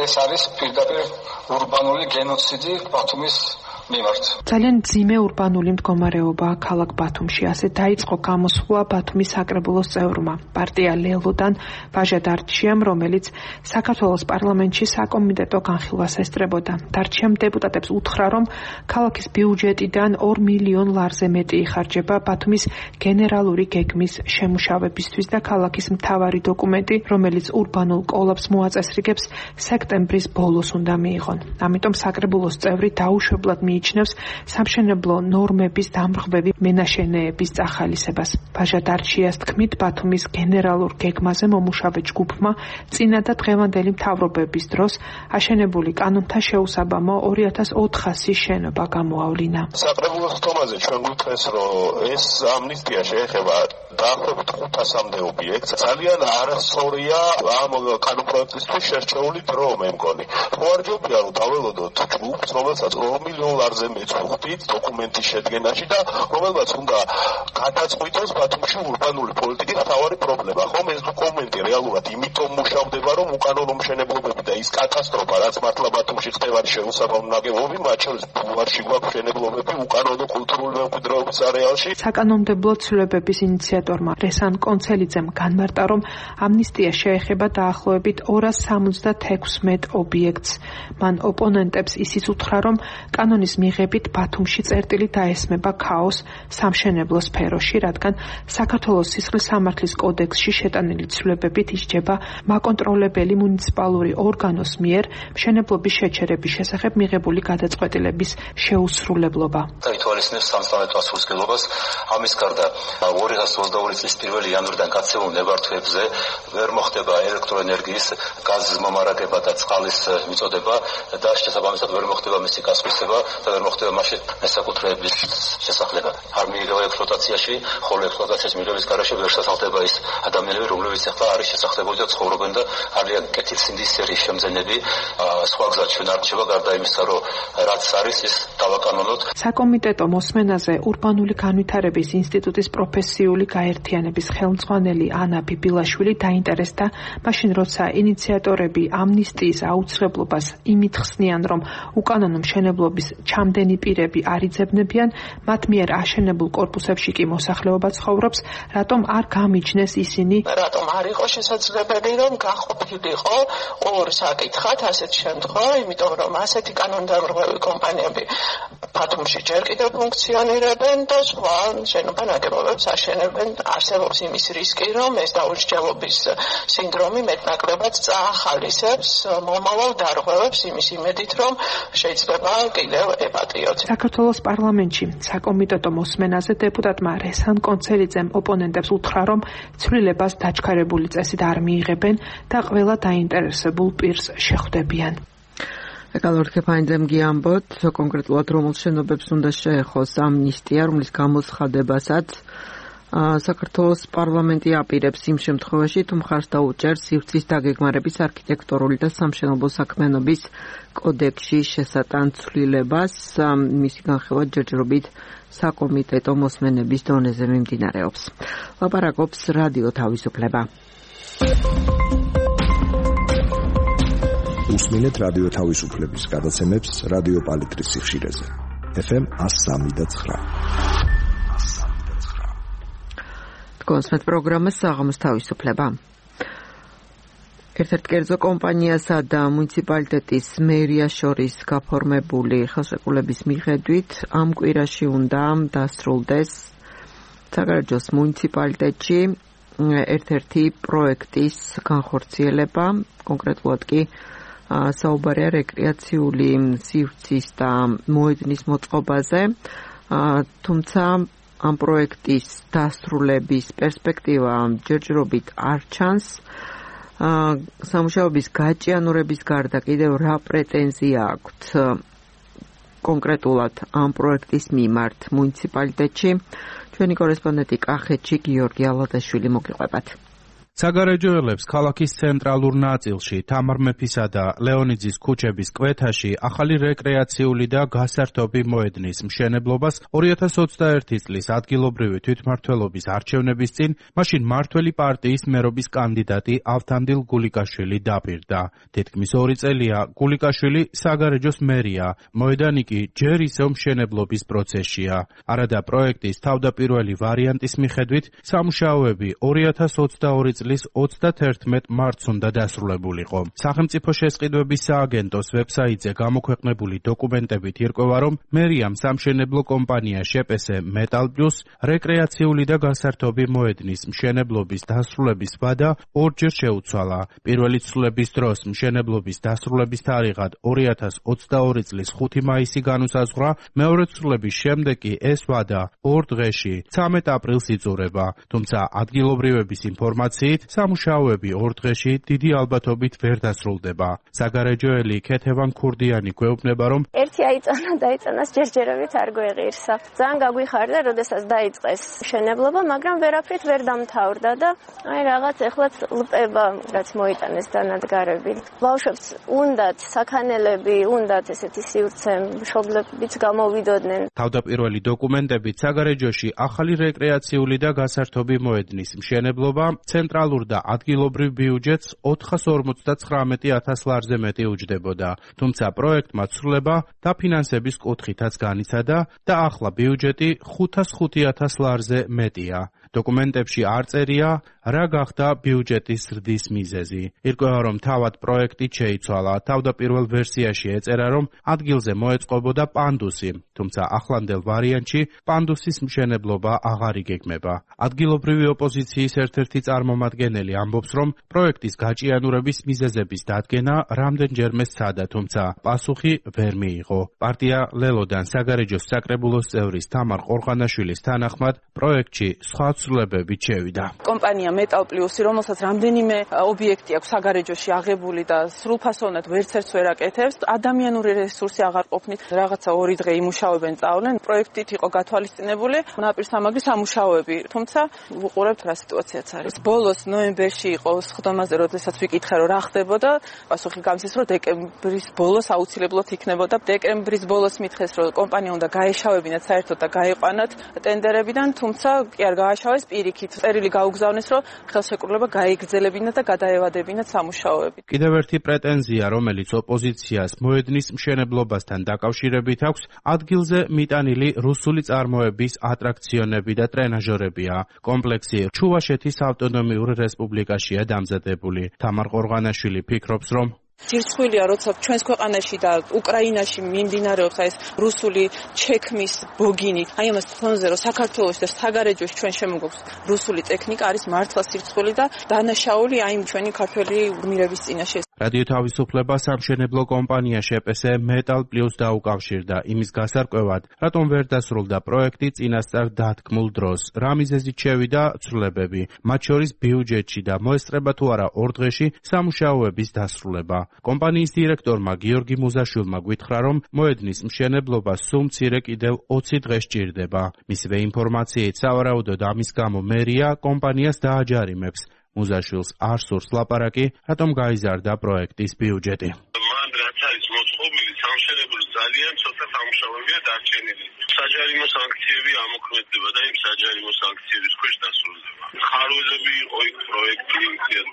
ეს არის პირდაპირ ურბანული გენოციდი ბათუმის მიმართ. ძალიან ძიმე ურბანული მდგომარეობა ქალაქ ბათუმში. ასე დაიწყო გამოსვლა ბათუმის საკრებულოს წევრმა პარტია ლელოდან ვაჟა დარჩიამ, რომელიც საქართველოს პარლამენტში საკომიტეტო განხილვას ესწრებოდა. დარჩიამ დეპუტატებს უთხრა, რომ ქალაქის ბიუჯეტიდან ორ მილიონ ლარზე მეტი იხარჯება ბათუმის გენერალური გეგმის შემუშავებისთვის და ქალაქის მთავარი დოკუმენტი, რომელიც ურბანულ კოლაფს მოაწესრიგებს, სექტემბრის ბოლოს უნდა მიიღონ. ამიტომ საკრებულოს წევრი დაუშვებლად მიიჩნევს სამშენებლო ნორმების დამრღვევი მენაშენეების წახალისებას. ვაჟა დარჩიას თქმით, ბათუმის გენერალურ გეგმაზე მომუშავე ჯგუფმა წინა და დღევანდელი მთავრობების დროს აშენებული კანონთა შეუსაბამო ორი ათას ოთხასი შენობა გამოავლინა. საკრებულოს ხდომაზე ჩვენ გვითხეს, რომ ეს ამნისტია შეეხება დაახლოებით ხუთასამდე ობიექტს. ძალიან არასწორია ამ კანონპროექტისთვის შერჩეული დრო, მე მგონი. ხო არ ჯობია რომ დაველოდოთ ჯგუფს, რომელსაც ორ მილიონ ნახევარზე მეცხრით დოკუმენტის შედგენაში და რომელმაც უნდა გადაწყვიტოს ბათუმში ურბანული პოლიტიკის მთავარი პრობლემა. ხომ ეს დოკუმენტი რეალურად იმითომ მუშავდება, რომ უკანონო მშენებლობები და ის კატასტროფა, რაც მართლა ბათუმში ხდება შეუსაბამო ნაგებობები, მათ შორის ბულვარში გვაქვს მშენებლობები უკანონო კულტურული მემკვიდრეობის არეალში. საკანონმდებლო ცვლილებების ინიციატორმა რესან კონცელიძემ განმარტა, რომ ამნისტია შეეხება დაახლოებით ორას სამოცდაექვსმეტ ობიექტს. მან ოპონენტებს ისიც უთხრა, რომ კანონის მიღებით ბათუმში წერტილი დაესმება ქაოს სამშენებლო სფეროში, რადგან საქართველოს სისხლის სამართლის კოდექსში შეტანილი ცვლილებებით ისჯება მაკონტროლებელი მუნიციპალური ორგანოს მიერ მშენებლობის შეჩერების შესახებ მიღებული გადაწყვეტილების შეუსრულებლობა. ითვალისწინებს სამწლოვანო ასრულსგებლობას. ამის გარდა ორი ათას ოცდაორი წლის პირველი იანვრიდან გაცემულ ნებართვებზე ვერ მოხდება ელექტროენერგიის, გაზის მომარაგება და წყალის მიწოდება და შესაბამისად ვერ მოხდება მისი გასხვისება და ვერ მოხდება მასში მესაკუთრეების შესახება. არ მიიღება ექსპლუატაციაში, ხოლო ექსპლუატაციის მიღების გარეშე ვერ შესახება ის ადამიანები, რომლებიც ახლა არის შესახლებოდი და ცხოვრობენ და არიან კეთილსინდისერის შემძენები. სხვა გზად ჩვენ არ რჩება გარდა იმისა, რომ რაც არის ის დავაკანონოთ. საკომიტეტო მოსმენაზე ურბანული განვითარების ინსტიტუტის პროფესიული გაერთიანების ხელმძღვანელი ანა ბიბილაშვილი დაინტერესდა მაშინ, როცა ინიციატორები ამნისტიის აუცილებლობას იმით ხსნიან, რომ უკანონო მშენებლობის ჩამდენი პირები არ იძებნებიან, მათ მიერ აშენებულ კორპუსებში კი მოსახლეობა ცხოვრობს, რატომ არ გამიჩნეს ისინი? რატომ არ იყო შესაძლებელი, რომ გაყოფილიყო ორ საკითხად ასეთ შემთხვევა, იმიტომ რომ ასეთი კანონდამრღვევი კომპანიები ბათუმში ჯერ კიდევ ფუნქციონირებენ და სხვა შენობა ნაგებობებს აშენებენ. არსებობს იმის რისკი, რომ ეს დაუსჯელობის სინდრომი მეტნაკლებად წაახალისებს მომავალ დარღვევებს იმის იმედით, რომ შეიძლება კიდევ ეპატიოთ. საქართველოს პარლამენტში საკომიტეტო მოსმენაზე დეპუტატმა რესან კონცელიძემ ოპონენტებს უთხრა, რომ ცვლილებას დაჩქარებული წესით არ მიიღებენ და ყველა დაინტერესებულ პირს შეხვდებიან. ეკალორ ქეფაინძემ გიამბოთ, კონკრეტულად რომელ შენობებს უნდა შეეხოს ამნისტია, რომლის გამოცხადებასაც საქართველოს პარლამენტი აპირებს იმ შემთხვევაში, თუ მხარს დაუჭერს სივრცის დაგეგმარების არქიტექტურული და სამშენებლო საქმიანობის კოდექსში შესატან ცვლილებას. მისი განხილვა ჯერჯერობით საკომიტეტო მოსმენების დონეზე მიმდინარეობს. ლაპარაკობს რადიო თავისუფლება. უსმინეთ რადიო თავისუფლების გადაცემებს რადიო პალიტრის სიხშირეზე. ეფ ემ one oh three point nine. კონსმეთ პროგრამა საღამოს თავისუფლება. ერთ-ერთ კერძო კომპანიასა და მუნიციპალიტეტის მერიას შორის გაფორმებული ხელშეკრულების მიხედვით ამ კვირაში უნდა დასრულდეს საგარეჯოს მუნიციპალიტეტში ერთ-ერთი პროექტის განხორციელება, კონკრეტულად კი საუბარია რეკრეაციული სივრცის და მოედნის მოწყობაზე, თუმცა ამ პროექტის დასრულების პერსპექტივა ჯერჯერობით არ ჩანს. სამუშაოების გაჭიანურების გარდა კიდევ რა პრეტენზია აქვთ კონკრეტულად ამ პროექტის მიმართ მუნიციპალიტეტში? ჩვენი კორესპონდენტი კახეთში გიორგი ალადაშვილი მოგიყვებათ. საგარეჯოელებს ქალაქის ცენტრალურ ნაწილში, თამარ მეფისა და ლეონიძის ქუჩების კვეთაში ახალი რეკრეაციული და გასართობი მოედნის მშენებლობას ორი ათას ოცდაერთი წლის ადგილობრივი თვითმმართველობის არჩევნების წინ მაშინ მართველი პარტიის მერობის კანდიდატი ავთანდილ გულიკაშვილი დაპირდა. თითქმის ორი წელია გულიკაშვილი საგარეჯოს მერია, მოედანი კი ჯერ ისევ მშენებლობის პროცესშია. არადა პროექტის თავდაპირველი ვარიანტის მიხედვით სამუშაოები ორი ათას ოცდაორი წლის ოცდათერთმეტ მარტს უნდა დასრულებულიყო. სახელმწიფო შესყიდვების სააგენტოს ვებსაიტზე გამოქვეყნებული დოკუმენტებით ირკვევა, რომ მერიამ სამშენებლო კომპანია შეპესე მეტალ პლუს რეკრეაციული და გასართობი მოედნის მშენებლობის დასრულების ვადა ორჯერ შეუცვალა. პირველი ცვლილების დროს მშენებლობის დასრულების თარიღად ორი ათას ოცდაორი წლის ხუთი მაისი განუსაზღვრა, მეორე ცვლილების შემდეგ კი ეს ვადა ორ დღეში ცამეტ აპრილს იწურება. თუმცა ადგილობრივების ინფორმაციით ინფორმაციით, სამუშაოები ორ დღეში დიდი ალბათობით ვერ დასრულდება. საგარეჯოელი ქეთევან ქურდიანი გვეუბნება, რომ ერთი აიწონა დაიწონას ჯერჯერობით არ გვეღირსა. ძალიან გაგვიხარდა, როდესაც დაიწყეს მშენებლობა, მაგრამ ვერაფრით ვერ დამთავრდა და აი რაღაც ეხლაც ლპება, რაც მოიტანეს დანადგარები. ბავშვებს უნდათ საქანელები, უნდათ ესეთი სივრცე, მშობლებიც გამოვიდოდნენ. თავდაპირველი დოკუმენტებით საგარეჯოში ახალი რეკრეაციული და გასართობი მოედნის მშენებლობა ცენტრალურ და ადგილობრივ ბიუჯეტს ოთხას ორმოცდათხრამეტი ათას ლარზე მეტი უჯდებოდა. თუმცა პროექტმა ცვლილება დაფინანსების კუთხითაც განიცადა და ახლა ბიუჯეტი ხუთას ხუთი ათას ლარზე მეტია. დოკუმენტებში არ წერია, რა გახდა ბიუჯეტის ზრდის მიზეზი. ირკვევა, რომ თავად პროექტი შეიცვალა. თავდაპირველ ვერსიაში ეწერა, რომ ადგილზე მოეწყობოდა პანდუსი, თუმცა ახლანდელ ვარიანტში პანდუსის მშენებლობა აღარ იგეგმება. ადგილობრივი ოპოზიციის ერთ-ერთი წარმომადგენელი ამბობს, რომ პროექტის გაჭიანურების მიზეზების დადგენა რამდენჯერმე სცადა, თუმცა პასუხი ვერ მიიღო. პარტია ლელოდან საგარეჯოს საკრებულოს წევრის თამარ ყორღანაშვილის თანახმად, პროექტში სხვა ცვლილებებით შევიდა. კომპანია მეტალ პლუსი, რომელსაც რამდენიმე ობიექტი აქვს საგარეჯოში აღებული და სრულფასოვნად ვერცერთს ვერ აკეთებს, ადამიანური რესურსი აღარ ყოფნით რაღაცა ორი დღე იმუშავებენ, წავლენ. პროექტით იყო გათვალისწინებული ნაპირსამაგრი სამუშაოები, თუმცა ვუყურებთ რა სიტუაციაც არის. ბოლოს ნოემბერში იყო სხდომაზე, როდესაც ვიკითხე, რომ რა ხდებოდა, პასუხი გამცეს, რომ დეკემბრის ბოლოს აუცილებლად იქნებოდა. დეკემბრის ბოლოს მითხეს, რომ კომპანია უნდა გაეშავებინათ საერთოდ და გაიყვანათ ტენდერებიდან, თუმცა კი არ გააშავეს, პირიქით წერილი გაუგზავნეს, რომ ხელშეკრულება გაიგრძელებინათ და გადაევადებინათ სამუშაოები. კიდევ ერთი პრეტენზია, რომელიც ოპოზიციას მოედნის მშენებლობასთან დაკავშირებით აქვს, ადგილზე მიტანილი რუსული წარმოების ატრაქციონები და ტრენაჟორებია. კომპლექსი ჩუვაშეთის ავტონომიურ რესპუბლიკაშია დამზადებული. თამარ ყორღანაშვილი ფიქრობს, რომ ჯირცხვილია, როცა ჩვენს ქვეყანაში და უკრაინაში მიმდინარეობს ეს რუსული ჩექმის ბოგინი. აი ამას ფონზე, რომ საქართველოში და საგარეჯოში ჩვენ შემოგვაქვს რუსული ტექნიკა, არის მართლა სირცხული და დანაშაული აი ჩვენი ქართველი გმირების წინაშე. რადიო თავისუფლება სამშენებლო კომპანია შეპესე მეტალ პლუს დაუკავშირდა იმის გასარკვევად, რატომ ვერ დასრულდა პროექტი წინასწარ დათქმულ დროს. რა მიზეზით შევიდა ცვლილებები, მათ შორის ბიუჯეტში და მოესწრება თუ არა ორ დღეში სამუშაოების დასრულება. კომპანიის დირექტორმა გიორგი მუზაშვილმა გვითხრა, რომ მოედნის მშენებლობა სულ მცირე კიდევ ოცი დღე სჭირდება. მისივე ინფორმაციით, სავარაუდოდ ამის გამო მერია კომპანიას დააჯარიმებს. მუზაშვილს არ სურს ლაპარაკი, რატომ გაიზარდა პროექტის ბიუჯეტი. მან რაც არის მოწყობილი, სამშენებლო ძალიან ცოტა სამუშაოებია დარჩენილი. საჯარიმო სანქციები ამოქმედდება და იმ საჯარიმო სანქციების ქვეშ დასრულდება. ხარვეზები იყო იქ პროექტი,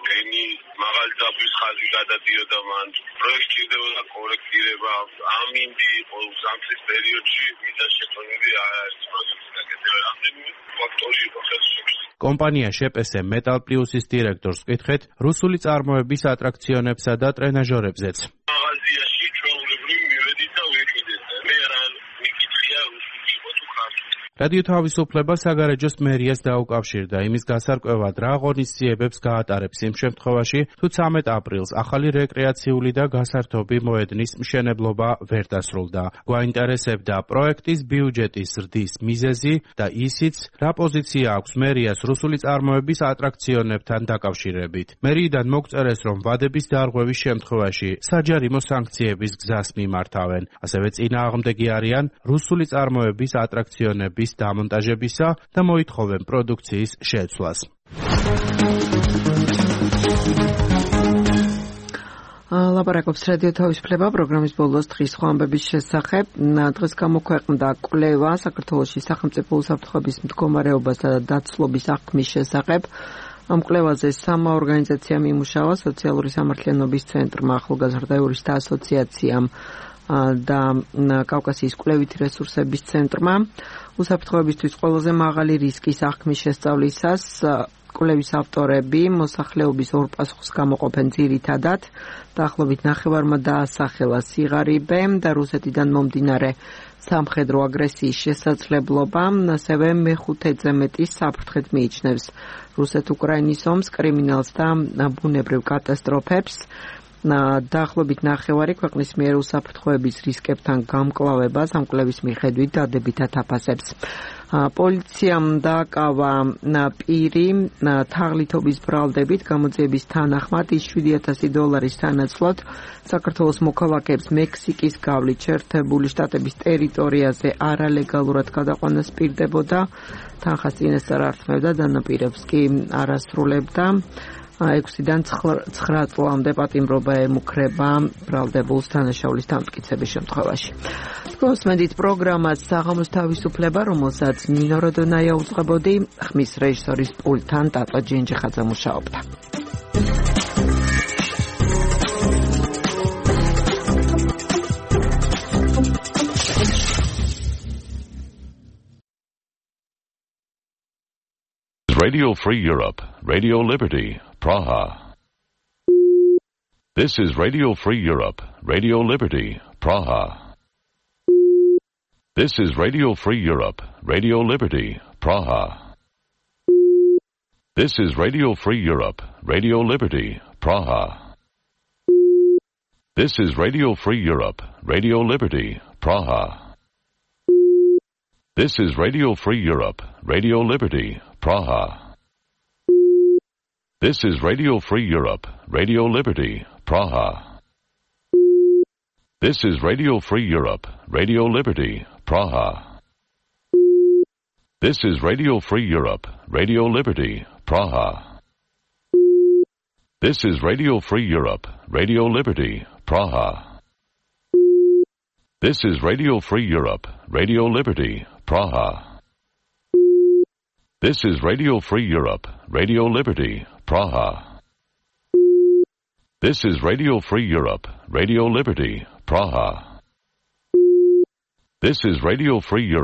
ტენი, მაღალი ძაბვის ხაზი გადადიოდა მან. პროექტი ჭირდებოდა კორექტირება, ამინდი იყო ზამთრის პერიოდში, ვიზა შეტანილი არ არის პროექტის გაკეთება. რამდენიმე ფაქტორი იყო ხელშეკრულებული. კომპანია შეპესე მეტალ პლუსის დირექტორს ვკითხეთ რუსული წარმოების ატრაქციონებსა და ტრენაჟორებზეც. მაღაზიაში ჩვეულებრივ მივედით და ვიყიდეთ. მე რა მიკითხია რუსული იყო თუ ქართული. რადიო თავისუფლება საგარეჯოს მერიას დაუკავშირდა იმის გასარკვევად, რა ღონისძიებებს გაატარებს იმ შემთხვევაში, თუ ცამეტ აპრილს ახალი რეკრეაციული და გასართობი მოედნის მშენებლობა ვერ დასრულდა. გვაინტერესებდა პროექტის ბიუჯეტის ზრდის მიზეზი და ისიც, რა პოზიცია აქვს მერიას რუსული წარმოების ატრაქციონებთან დაკავშირებით. მერიიდან მოგწერეს, რომ ვადების დარღვევის შემთხვევაში საჯარიმო სანქციების გზას მიმართავენ. ასევე წინააღმდეგი არიან რუსული წარმოების ატრაქციონების დამონტაჟებისა და მოითხოვენ პროდუქციის შეცვლას. ლაპარაკობს რადიო თავისუფლება პროგრამის ბოლოს დღის სხვა ამბების შესახებ. დღეს გამოქვეყნდა კვლევა საქართველოში სახელმწიფო უსაფრთხოების მდგომარეობასა და დაცლობის აღქმის შესახებ. ამ კვლევაზე სამა ორგანიზაციამ იმუშავა, სოციალური სამართლიანობის ცენტრმა, ახალგაზრდა იურისტთა ასოციაციამ და კავკასიის კვლევითი რესურსების ცენტრმა. უსაფრთხოებისთვის ყველაზე მაღალი რისკის აღქმის შესწავლისას კვლევის ავტორები მოსახლეობის ორ პასუხს გამოყოფენ ძირითადად. დაახლოებით ნახევარმა დაასახელა სიღარიბე და რუსეთიდან მომდინარე სამხედრო აგრესიის შესაძლებლობა, ასევე მეხუთეზე მეტი საფრთხედ მიიჩნევს რუსეთ-უკრაინის ომს, კრიმინალს და ბუნებრივ კატასტროფებს. დაახლოებით ნახევარი ქვეყნის მიერ უსაფრთხოების რისკებთან გამკლავებას ამ კვლევის მიხედვით დადებითად აფასებს. პოლიციამ დააკავა პირი თაღლითობის ბრალდებით გამოძიების თანახმად ის შვიდი ათასი დოლარის სანაცვლოდ საქართველოს მოქალაქეებს მექსიკის გავლით შეერთებული შტატების ტერიტორიაზე არალეგალურად გადაყვანას პირდებოდა. თანხას წინასწარ არ თმევდა, დანაპირებს კი არ ასრულებდა. ექვსიდან ცხრა წლამდე პატიმრობა ემუქრება ბრალდებულს დანაშაულის დამტკიცების შემთხვევაში. გოსმენდით პროგრამას საღამოს თავისუფლება, რომელსაც ნინო როდონაია უძღვებოდი, ხმის რეჟისორის პულტთან ტატო ჯინჯიხაძე მუშაობდა. Radio Free Europe, Radio Liberty, Praha. This is Radio Free Europe, Radio Liberty, Praha. This is Radio Free Europe, Radio Liberty, Praha. This is Radio Free Europe, Radio Liberty, Praha. This is Radio Free Europe, Radio Liberty, Praha. This is Radio Free Europe, Radio Liberty, Praha. This is Radio Free Europe, Radio Liberty, Praha. This is Radio Free Europe, Radio Liberty, Praha. This is Radio Free Europe, Radio Liberty, Praha. This is Radio Free Europe, Radio Liberty, Praha. This is Radio Free Europe, Radio Liberty, Praha. This is Radio Free Europe, Radio Liberty, Praha. This is Radio Free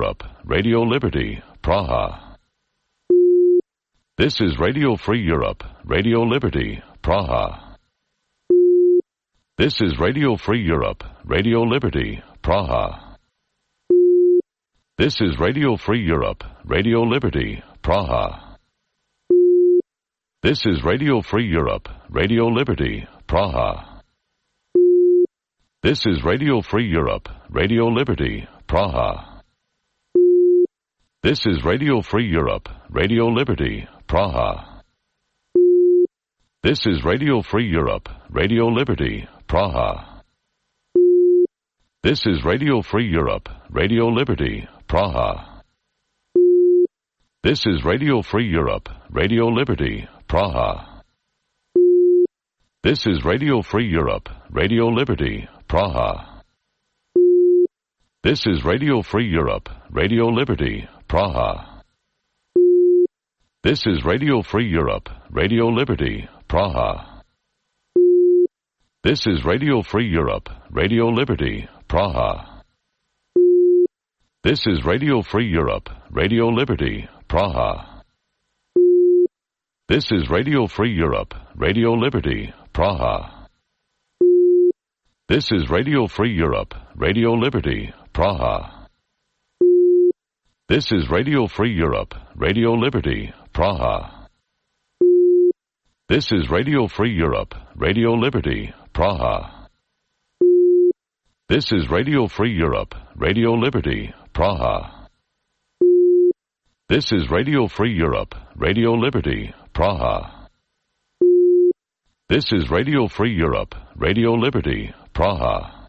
Europe, Radio Liberty, Praha. This is Radio Free Europe, Radio Liberty, Praha. This is Radio Free Europe, Radio Liberty, Praha. This is Radio Free Europe, Radio Liberty, Praha. This is Radio Free Europe, Radio Liberty, Praha. This is Radio Free Europe, Radio Liberty, Praha. This is Radio Free Europe, Radio Liberty, Praha. This is Radio Free Europe, Radio Liberty, Praha. This is Radio Free Europe, Radio Liberty, Praha. This is Radio Free Europe, Radio Liberty, Praha. This is Radio Free Europe, Radio Liberty, Praha. This is Radio Free Europe, Radio Liberty, Praha. This is Radio Free Europe, Radio Liberty, Praha. This is Radio Free Europe, Radio Liberty, Praha. This is Radio Free Europe, Radio Liberty, Praha. This is Radio Free Europe, Radio Liberty, Praha. This is Radio Free Europe, Radio Liberty, Praha. This is Radio Free Europe, Radio Liberty, Praha. This is Radio Free Europe, Radio Liberty, Praha. This is Radio Free Europe, Radio Liberty, Praha. This is Radio Free Europe, Radio Liberty, Praha. This is Radio Free Europe, Radio Liberty, Praha.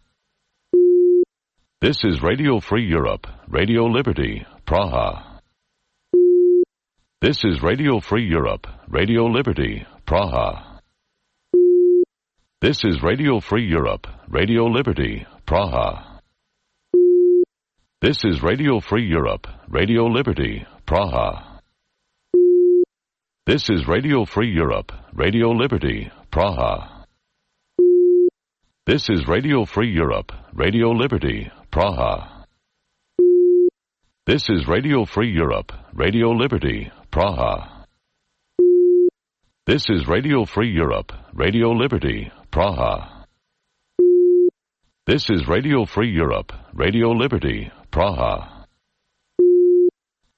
This is Radio Free Europe, Radio Liberty, Praha. This is Radio Free Europe, Radio Liberty, Praha. This is Radio Free Europe, Radio Liberty, Praha. This is Radio Free Europe, Radio Liberty, Praha. This is Radio Free Europe, Radio Liberty, Praha. This is Radio Free Europe, Radio Liberty, Praha. This is Radio Free Europe, Radio Liberty, Praha. This is Radio Free Europe, Radio Liberty, Praha. This is Radio Free Europe, Radio Liberty, Praha. This is Radio Free Europe, Radio Liberty, Praha.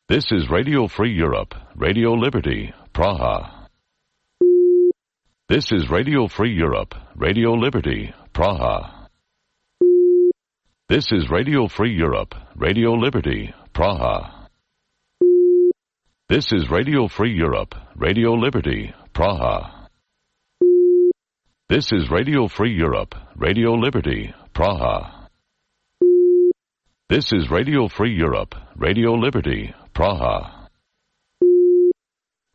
This is Radio Free Europe, Radio Liberty, Praha. This is Radio Free Europe, Radio Liberty, Praha. This is Radio Free Europe, Radio Liberty, Praha. This is Radio Free Europe, Radio Liberty, Praha. This is Radio Free Europe, Radio Liberty, Praha. This is Radio Free Europe, Radio Liberty, Praha.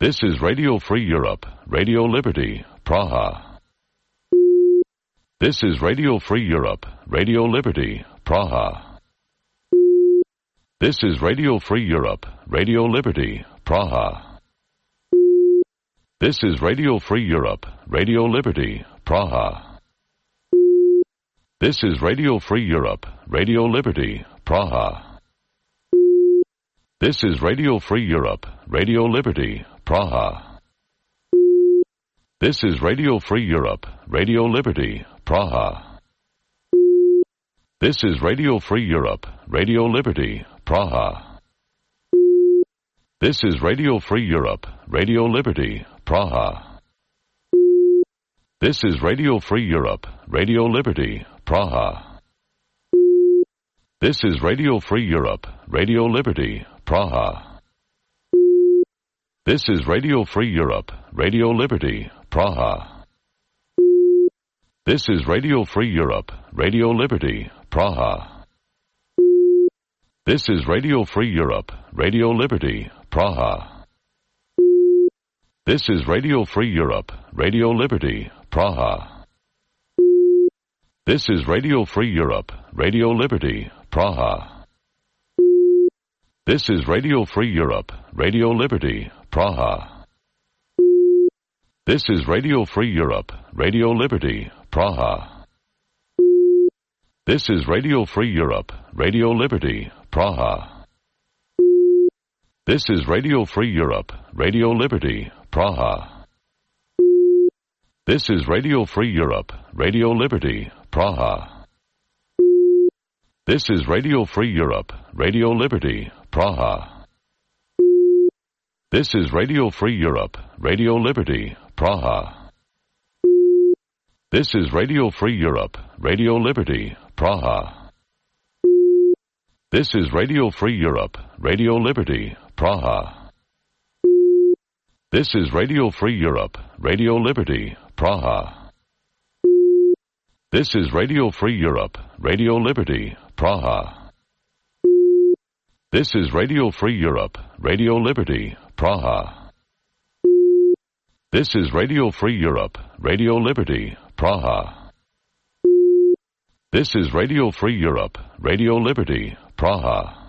This is Radio Free Europe, Radio Liberty, Praha. This is Radio Free Europe, Radio Liberty, Praha. This is Radio Free Europe, Radio Liberty, Praha. This is Radio Free Europe, Radio Liberty, Praha. This is Radio Free Europe, Radio Liberty, Praha. This is Radio Free Europe, Radio Liberty, Praha. This is Radio Free Europe, Radio Liberty, Praha. This is Radio Free Europe, Radio Liberty, Praha. This is Radio Free Europe, Radio Liberty, Praha. This is Radio Free Europe, Radio Liberty, Praha. This is Radio Free Europe, Radio Liberty, Praha. This is Radio Free Europe, Radio Liberty, Praha. This is Radio Free Europe, Radio Liberty, Praha. This is Radio Free Europe, Radio Liberty, Praha. This is Radio Free Europe, Radio Liberty, Praha. This is Radio Free Europe, Radio Liberty, Praha. This is Radio Free Europe, Radio Liberty, Praha. This is Radio Free Europe, Radio Liberty, Praha. This is Radio Free Europe, Radio Liberty, Praha. This is Radio Free Europe, Radio Liberty, Praha. This is Radio Free Europe, Radio Liberty, Praha. This is Radio Free Europe, Radio Liberty, Praha. This is Radio Free Europe, Radio Liberty, Praha. This is Radio Free Europe, Radio Liberty, Praha. This is Radio Free Europe, Radio Liberty, Praha. This is Radio Free Europe, Radio Liberty, Praha. This is Radio Free Europe, Radio Liberty, Praha. This is Radio Free Europe, Radio Liberty, Praha. This is Radio Free Europe, Radio Liberty, Praha. This is Radio Free Europe, Radio Liberty, Praha.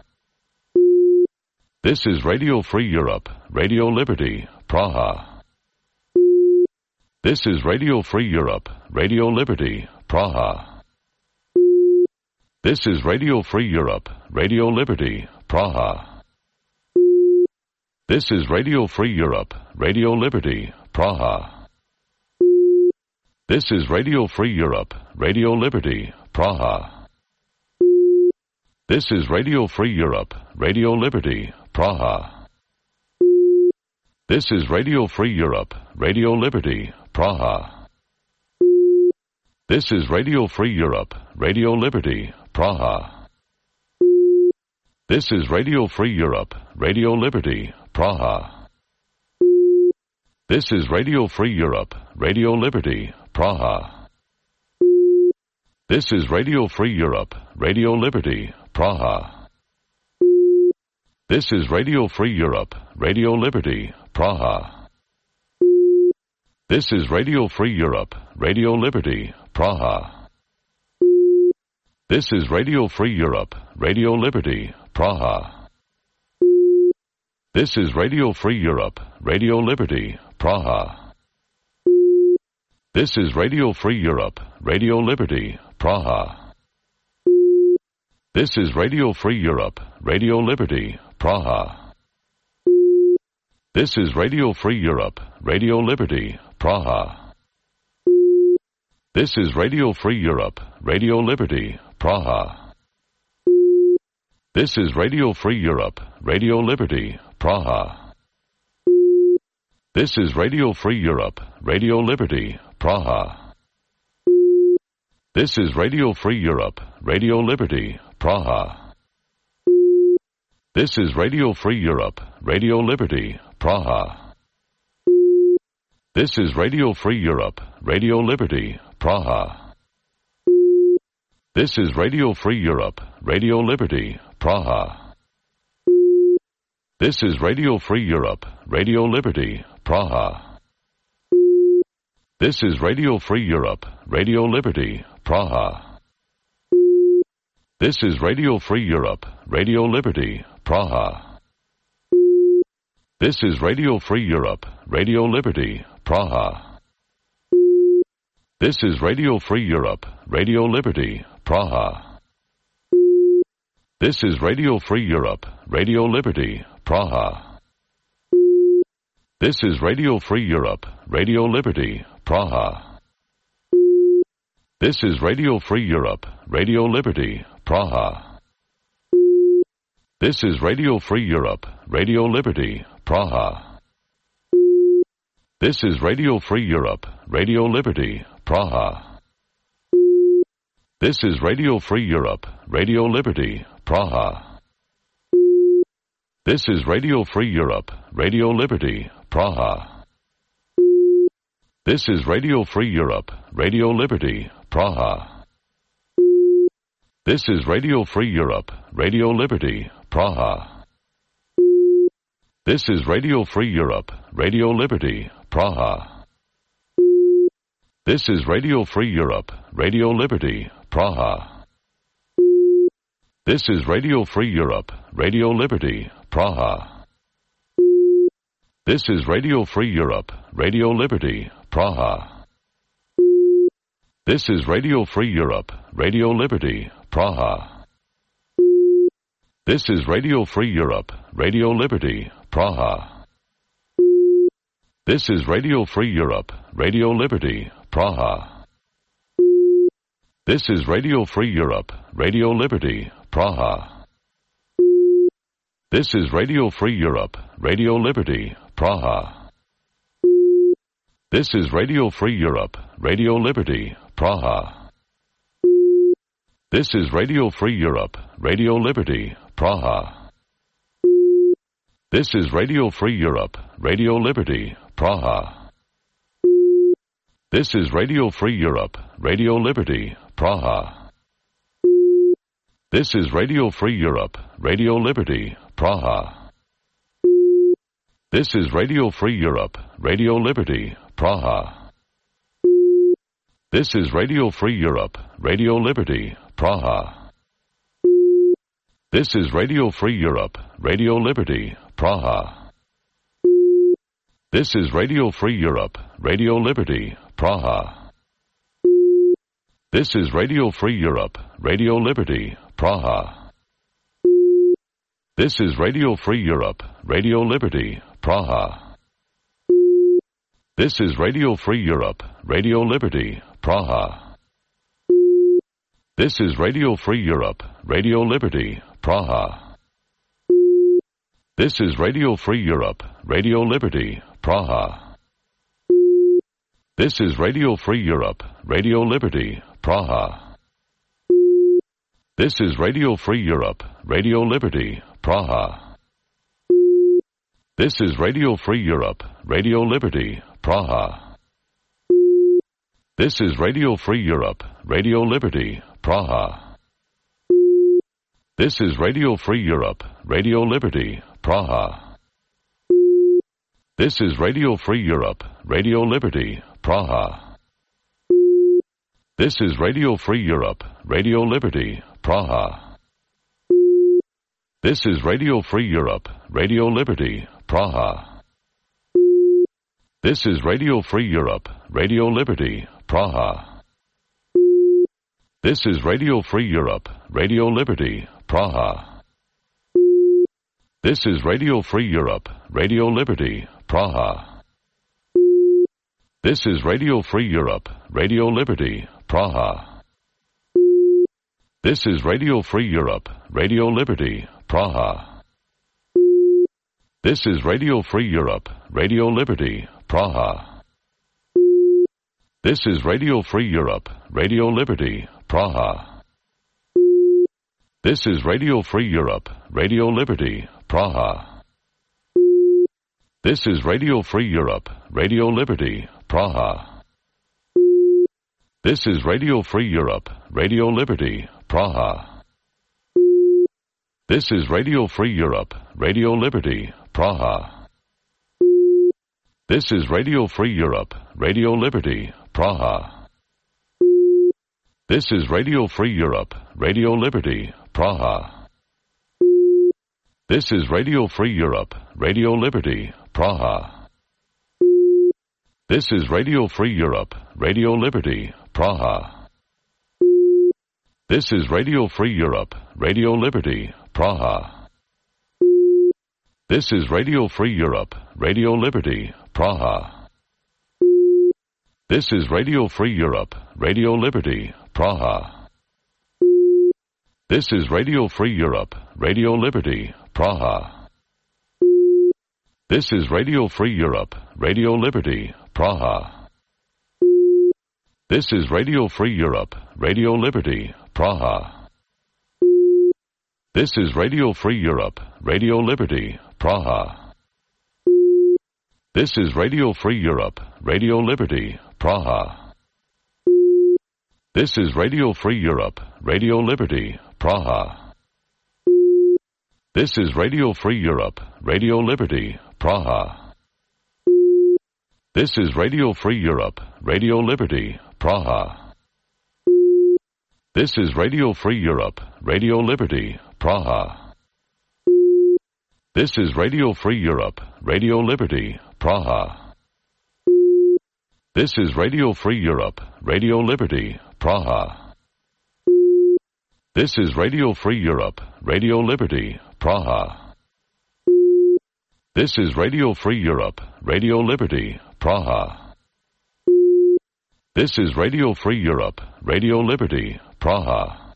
This is Radio Free Europe, Radio Liberty, Praha. This is Radio Free Europe, Radio Liberty, Praha. This is Radio Free Europe, Radio Liberty, Praha. This is Radio Free Europe, Radio Liberty, Praha. This is Radio Free Europe, Radio Liberty, Praha. This is Radio Free Europe, Radio Liberty, Praha. This is Radio Free Europe, Radio Liberty, Praha. This is Radio Free Europe, Radio Liberty, Praha. This is Radio Free Europe, Radio Liberty, Praha. This is Radio Free Europe, Radio Liberty, Praha. This is Radio Free Europe, Radio Liberty, Praha. This is Radio Free Europe, Radio Liberty, Praha. This is Radio Free Europe, Radio Liberty, Praha. This is Radio Free Europe, Radio Liberty, Praha. This is Radio Free Europe, Radio Liberty, Praha. This is Radio Free Europe, Radio Liberty, Praha. This is Radio Free Europe, Radio Liberty, Praha. This is Radio Free Europe, Radio Liberty, Praha. This is Radio Free Europe, Radio Liberty, Praha. This is Radio Free Europe, Radio Liberty, Praha. This is Radio Free Europe, Radio Liberty, Praha. This is Radio Free Europe, Radio Liberty, Praha. This is Radio Free Europe, Radio Liberty, Praha. This is Radio Free Europe, Radio Liberty, Praha. This is Radio Free Europe, Radio Liberty, Praha. This is Radio Free Europe, Radio Liberty, Praha. This is Radio Free Europe, Radio Liberty, Praha. This is Radio Free Europe, Radio Liberty, Praha. This is Radio Free Europe, Radio Liberty, Praha. This is Radio Free Europe, Radio Liberty, Praha. This is Radio Free Europe, Radio Liberty, Praha. This is Radio Free Europe, Radio Liberty, Praha. This is Radio Free Europe, Radio Liberty, Praha. This is Radio Free Europe, Radio Liberty, Praha. This is Radio Free Europe, Radio Liberty, Praha. This is Radio Free Europe, Radio Liberty, Praha. This is Radio Free Europe, Radio Liberty, Praha. This is Radio Free Europe, Radio Liberty, Praha. This is Radio Free Europe, Radio Liberty, Praha. This is Radio Free Europe, Radio Liberty, Praha. This is Radio Free Europe, Radio Liberty, Praha. This is Radio Free Europe, Radio Liberty, Praha. This is Radio Free Europe, Radio Liberty, Praha. This is Radio Free Europe, Radio Liberty, Praha. This is Radio Free Europe, Radio Liberty, Praha. This is Radio Free Europe, Radio Liberty, Praha. This is Radio Free Europe, Radio Liberty, Praha. This is Radio Free Europe, Radio Liberty, Praha. This is Radio Free Europe, Radio Liberty, Praha. This is Radio Free Europe, Radio Liberty, Praha. This is Radio Free Europe, Radio Liberty, Praha. This is Radio Free Europe, Radio Liberty, Praha. This is Radio Free Europe, Radio Liberty, Praha. This is Radio Free Europe, Radio Liberty, Praha. This is Radio Free Europe, Radio Liberty, Praha. This is Radio Free Europe, Radio Liberty, Praha. This is Radio Free Europe, Radio Liberty, Praha. This is Radio Free Europe, Radio Liberty, Praha. This is Radio Free Europe, Radio Liberty, Praha. This is Radio Free Europe, Radio Liberty, Praha. This is Radio Free Europe, Radio Liberty, Praha. This is Radio Free Europe, Radio Liberty, Praha. This is Radio Free Europe, Radio Liberty, Praha. This is Radio Free Europe, Radio Liberty, Praha. This is Radio Free Europe, Radio Liberty, Praha. This is Radio Free Europe, Radio Liberty, Praha. This is Radio Free Europe, Radio Liberty, Praha. This is Radio Free Europe, Radio Liberty, Praha. This is Radio Free Europe, Radio Liberty, Praha. This is Radio Free Europe, Radio Liberty, Praha. This is Radio Free Europe, Radio Liberty, Praha. This is Radio Free Europe, Radio Liberty, Praha. This is Radio Free Europe, Radio Liberty, Praha. This is Radio Free Europe, Radio Liberty, Praha. This is Radio Free Europe, Radio Liberty, Praha. This is Radio Free Europe, Radio Liberty, Praha. This is Radio Free Europe, Radio Liberty, Praha. This is Radio Free Europe, Radio Liberty, Praha. This is Radio Free Europe, Radio Liberty, Praha. This is Radio Free Europe, Radio Liberty, Praha. This is Radio Free Europe, Radio Liberty, Praha. This is Radio Free Europe, Radio Liberty, Praha. This is Radio Free Europe, Radio Liberty, Praha. This is Radio Free Europe, Radio Liberty, Praha. This is Radio Free Europe, Radio Liberty, Praha. This is Radio Free Europe, Radio Liberty, Praha. This is Radio Free Europe, Radio Liberty, Praha. This is Radio Free Europe, Radio Liberty, Praha. This is Radio Free Europe, Radio Liberty, Praha. This is Radio Free Europe, Radio Liberty, Praha. This is Radio Free Europe, Radio Liberty, Praha. This is Radio Free Europe, Radio Liberty, Praha. This is Radio Free Europe, Radio Liberty, Praha. This is Radio Free Europe, Radio Liberty, Praha. This is Radio Free Europe, Radio Liberty, Praha. This is Radio Free Europe, Radio Liberty, Praha. This is Radio Free Europe, Radio Liberty, Praha. This is Radio Free Europe, Radio Liberty, Praha. This is Radio Free Europe, Radio Liberty, Praha. This is Radio Free Europe, Radio Liberty, Praha. This is Radio Free Europe, Radio Liberty, Praha. This is Radio Free Europe, Radio Liberty, Praha.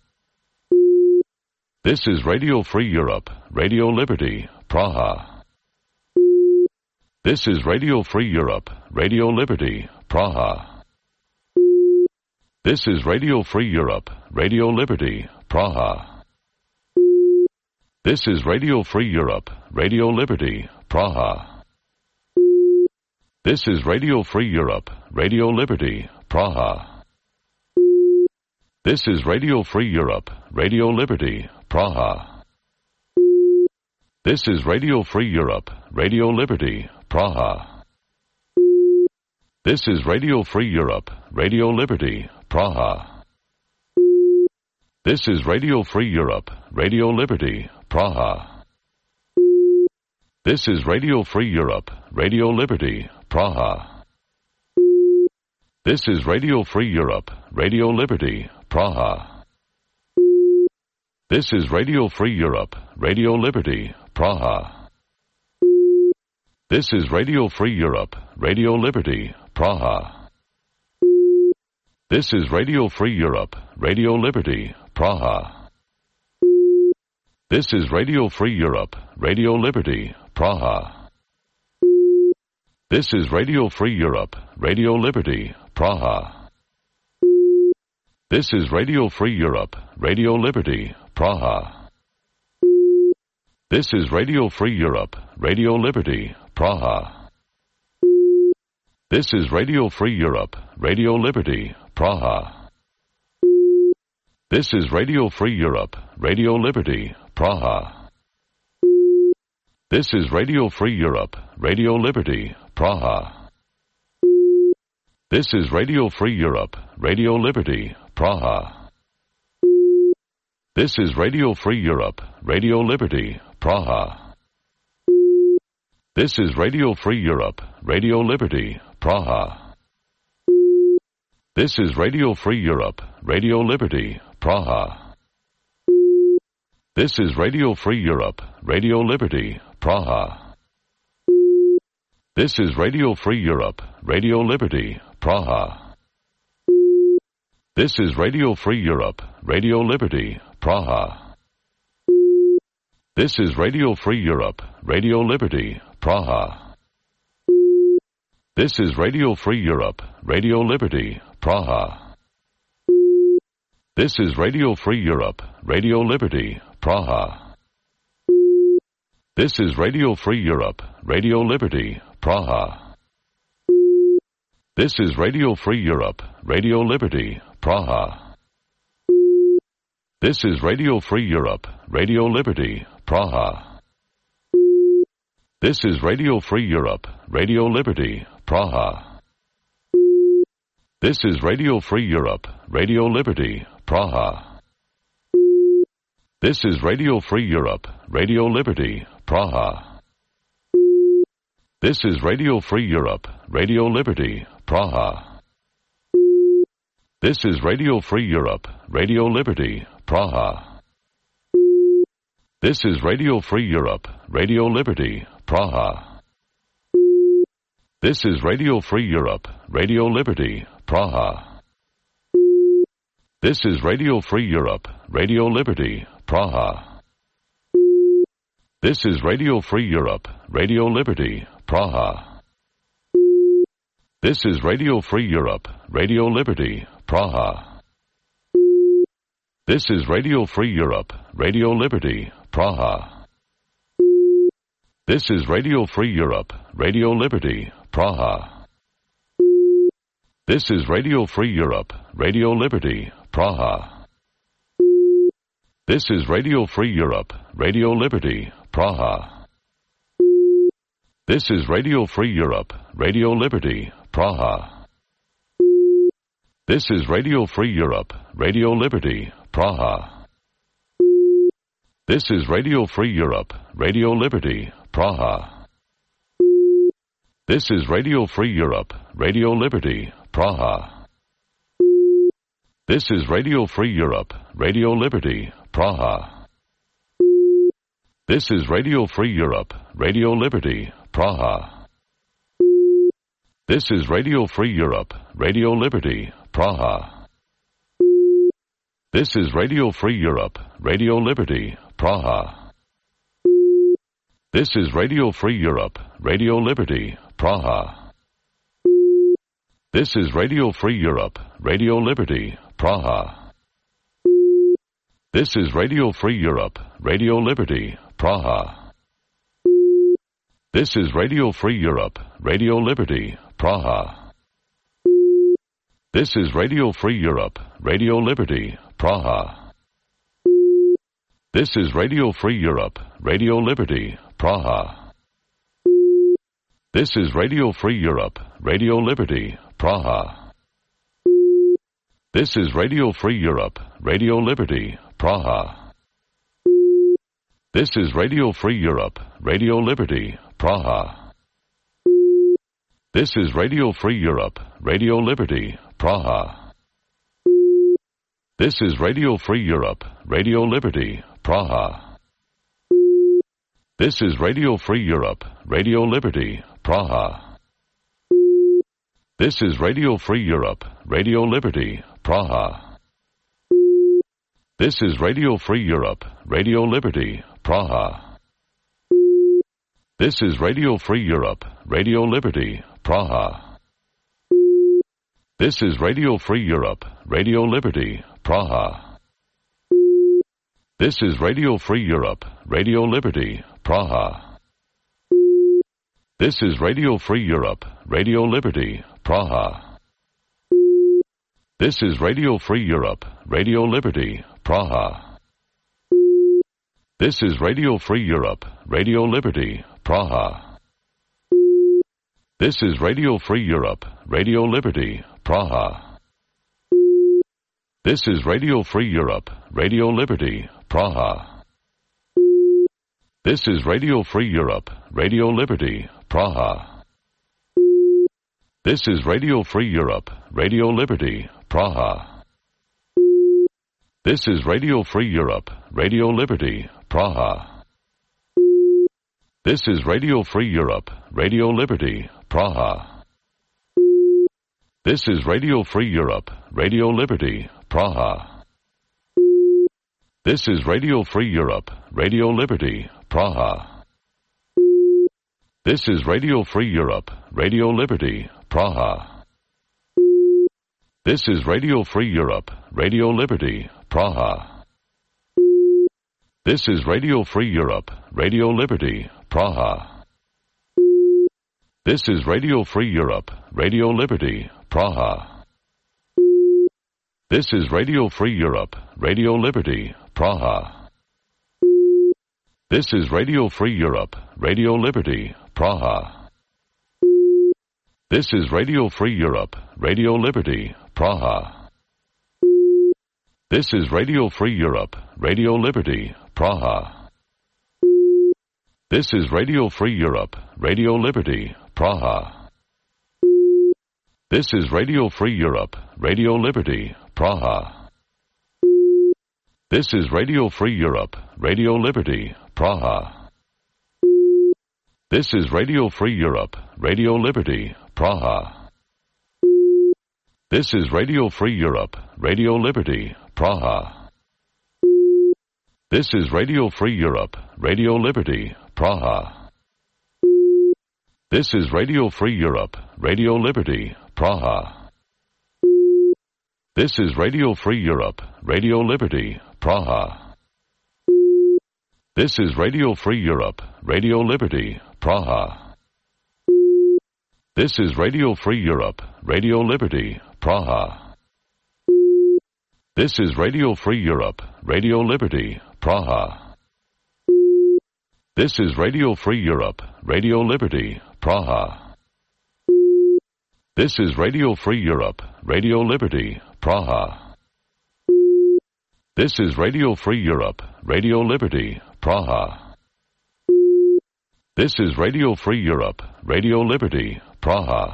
This is Radio Free Europe, Radio Liberty, Praha. This is Radio Free Europe, Radio Liberty, Praha. This is Radio Free Europe, Radio Liberty, Praha. This is Radio Free Europe, Radio Liberty, Praha. This is Radio Free Europe, Radio Liberty, Praha. This is Radio Free Europe, Radio Liberty, Praha. This is Radio Free Europe, Radio Liberty, Praha. This is Radio Free Europe, Radio Liberty, Praha. This is Radio Free Europe, Radio Liberty, Praha. This is Radio Free Europe, Radio Liberty, Praha. This is Radio Free Europe, Radio Liberty, Praha. This is Radio Free Europe, Radio Liberty, Praha. This is Radio Free Europe, Radio Liberty, Praha. This is Radio Free Europe, Radio Liberty, Praha. This is Radio Free Europe, Radio Liberty, Praha. This is Radio Free Europe, Radio Liberty, Praha. This is Radio Free Europe, Radio Liberty, Praha. This is Radio Free Europe, Radio Liberty, Praha. This is Radio Free Europe, Radio Liberty, Praha. This is Radio Free Europe, Radio Liberty, Praha. This is Radio Free Europe, Radio Liberty, Praha. This is Radio Free Europe, Radio Liberty, Praha. This is Radio Free Europe, Radio Liberty, Praha. This is Radio Free Europe, Radio Liberty, Praha. This is Radio Free Europe, Radio Liberty, Praha. This is Radio Free Europe, Radio Liberty, Praha. This is Radio Free Europe, Radio Liberty, Praha. This is Radio Free Europe, Radio Liberty, Praha. This is Radio Free Europe, Radio Liberty, Praha. This is Radio Free Europe, Radio Liberty, Praha. This is Radio Free Europe, Radio Liberty, Praha. This is Radio Free Europe, Radio Liberty, Praha. This is Radio Free Europe, Radio Liberty, Praha. This is Radio Free Europe, Radio Liberty, Praha. This is Radio Free Europe, Radio Liberty, Praha. This is Radio Free Europe, Radio Liberty, Praha. This is Radio Free Europe, Radio Liberty, Praha. This is Radio Free Europe, Radio Liberty, Praha. This is Radio Free Europe, Radio Liberty, Praha. This is Radio Free Europe, Radio Liberty, Praha. This is Radio Free Europe, Radio Liberty, Praha. This is Radio Free Europe, Radio Liberty, Praha. This is Radio Free Europe, Radio Liberty, Praha. This is Radio Free Europe, Radio Liberty, Praha. This is Radio Free Europe, Radio Liberty, Praha. This is Radio Free Europe, Radio Liberty, Praha. This is Radio Free Europe, Radio Liberty, Praha. This is Radio Free Europe, Radio Liberty, Praha. This is Radio Free Europe, Radio Liberty, Praha. This is Radio Free Europe, Radio Liberty, Praha. This is Radio Free Europe, Radio Liberty, Praha. This is Radio Free Europe, Radio Liberty, Praha. This is Radio Free Europe, Radio Liberty, Praha. This is Radio Free Europe, Radio Liberty, Praha. This is Radio Free Europe, Radio Liberty, Praha. This is Radio Free Europe, Radio Liberty, Praha. This is Radio Free Europe, Radio Liberty, Praha. This is Radio Free Europe, Radio Liberty, Praha. This is Radio Free Europe, Radio Liberty, Praha. This is Radio Free Europe, Radio Liberty, Praha. This is Radio Free Europe, Radio Liberty, Praha. This is Radio Free Europe, Radio Liberty, Praha. This is Radio Free Europe, Radio Liberty, Praha. This is Radio Free Europe, Radio Liberty, Praha. This is Radio Free Europe, Radio Liberty, Praha. This is Radio Free Europe, Radio Liberty, Praha. This is Radio Free Europe, Radio Liberty, Praha. This is Radio Free Europe, Radio Liberty, Praha. This is Radio Free Europe, Radio Liberty, Praha. This is Radio Free Europe, Radio Liberty, Praha. This is Radio Free Europe, Radio Liberty, Praha. This is Radio Free Europe, Radio Liberty, Praha. This is Radio Free Europe, Radio Liberty, Praha. This is Radio Free Europe, Radio Liberty, Praha. This is Radio Free Europe, Radio Liberty, Praha. This is Radio Free Europe, Radio Liberty, Praha. This is Radio Free Europe, Radio Liberty, Praha. This is Radio Free Europe, Radio Liberty, Praha. This is Radio Free Europe, Radio Liberty, Praha. This is Radio Free Europe, Radio Liberty, Praha. This is Radio Free Europe, Radio Liberty, Praha. This is Radio Free Europe, Radio Liberty, Praha. This is Radio Free Europe, Radio Liberty, Praha. This is Radio Free Europe, Radio Liberty, Praha. This is Radio Free Europe, Radio Liberty, Praha. This is Radio Free Europe, Radio Liberty, Praha. This is Radio Free Europe, Radio Liberty, Praha. This is Radio Free Europe, Radio Liberty, Praha. This is Radio Free Europe, Radio Liberty, Praha. This is Radio Free Europe, Radio Liberty, Praha. This is Radio Free Europe, Radio Liberty, Praha. This is Radio Free Europe, Radio Liberty, Praha. This is Radio Free Europe, Radio Liberty, Praha. This is Radio Free Europe, Radio Liberty, Praha. This is Radio Free Europe, Radio Liberty, Praha. This is Radio Free Europe, Radio Liberty, Praha. This is Radio Free Europe, Radio Liberty, Praha. This is Radio Free Europe, Radio Liberty, Praha. This is Radio Free Europe, Radio Liberty, Praha. This is Radio Free Europe, Radio Liberty, Praha. This is Radio Free Europe, Radio Liberty, Praha. This is Radio Free Europe, Radio Liberty, Praha. This is Radio Free Europe, Radio Liberty, Praha. This is Radio Free Europe, Radio Liberty, Praha. This is Radio Free Europe, Radio Liberty, Praha. This is Radio Free Europe, Radio Liberty, Praha. This is Radio Free Europe, Radio Liberty, Praha.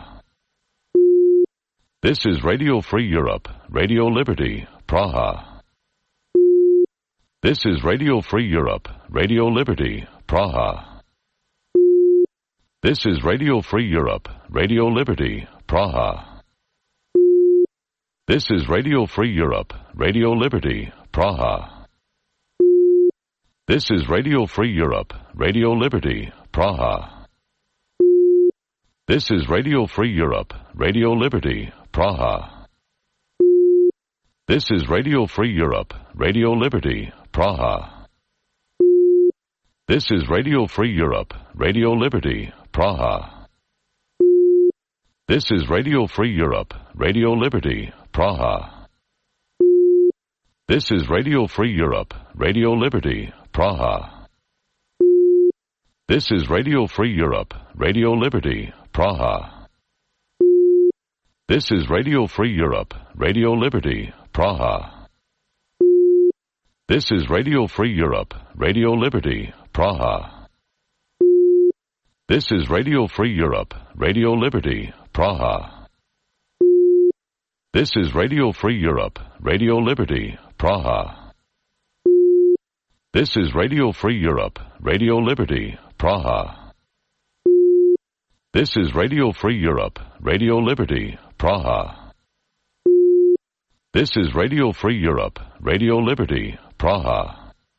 This is Radio Free Europe, Radio Liberty, Praha. This is Radio Free Europe, Radio Liberty, Praha. This is Radio Free Europe, Radio Liberty, Praha. This is Radio Free Europe, Radio Liberty, Praha. This is Radio Free Europe, Radio Liberty, Praha. This is Radio Free Europe, Radio Liberty, Praha. This is Radio Free Europe, Radio Liberty, Praha. This is Radio Free Europe, Radio Liberty, Praha. This is Radio Free Europe, Radio Liberty, Praha. This is Radio Free Europe, Radio Liberty, Praha. This is Radio Free Europe, Radio Liberty, Praha. This is Radio Free Europe, Radio Liberty, Praha. This is Radio Free Europe, Radio Liberty, Praha. This is Radio Free Europe, Radio Liberty, Praha. This is Radio Free Europe, Radio Liberty, Praha. This is Radio Free Europe, Radio Liberty, Praha. This is Radio Free Europe, Radio Liberty, Praha. This is Radio Free Europe, Radio Liberty, Praha.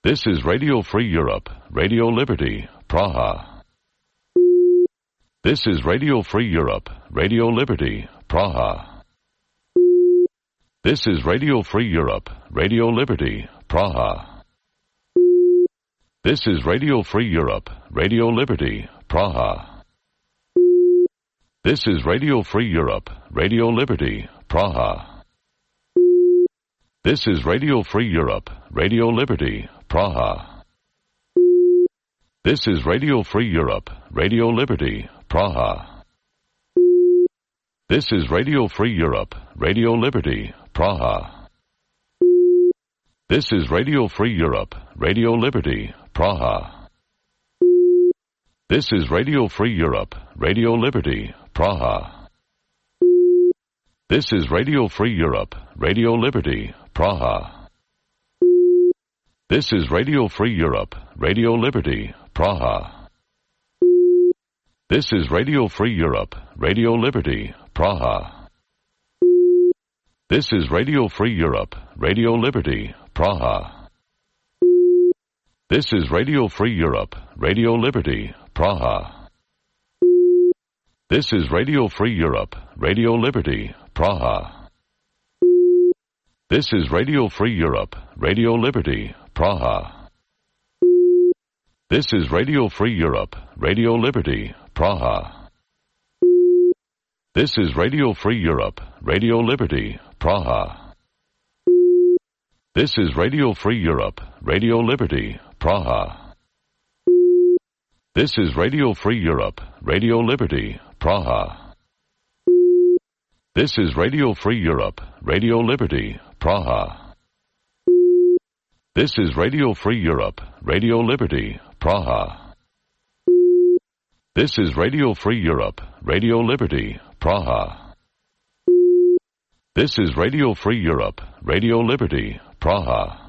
This is Radio Free Europe, Radio Liberty, Praha. This is Radio Free Europe, Radio Liberty, Praha. This is Radio Free Europe, Radio Liberty, Praha. This is Radio Free Europe, Radio Liberty, Praha. This is Radio Free Europe, Radio Liberty, Praha. This is Radio Free Europe, Radio Liberty, Praha. This is Radio Free Europe, Radio Liberty, Praha. This is Radio Free Europe, Radio Liberty, Praha. This is Radio Free Europe, Radio Liberty, Praha. This is Radio Free Europe, Radio Liberty, Praha. This is Radio Free Europe, Radio Liberty, Praha. This is Radio Free Europe, Radio Liberty, Praha. This is Radio Free Europe, Radio Liberty, Praha. This is Radio Free Europe, Radio Liberty, Praha. This is Radio Free Europe, Radio Liberty, Praha. This is Radio Free Europe, Radio Liberty, Praha. This is Radio Free Europe, Radio Liberty, Praha. This is Radio Free Europe, Radio Liberty, Praha. This is Radio Free Europe, Radio Liberty, Praha. This is Radio Free Europe, Radio Liberty, Praha. This is Radio Free Europe, Radio Liberty, Praha. This is Radio Free Europe, Radio Liberty, Praha. This is Radio Free Europe, Radio Liberty, Praha. This is Radio Free Europe, Radio Liberty, Praha. This is Radio Free Europe, Radio Liberty, Praha.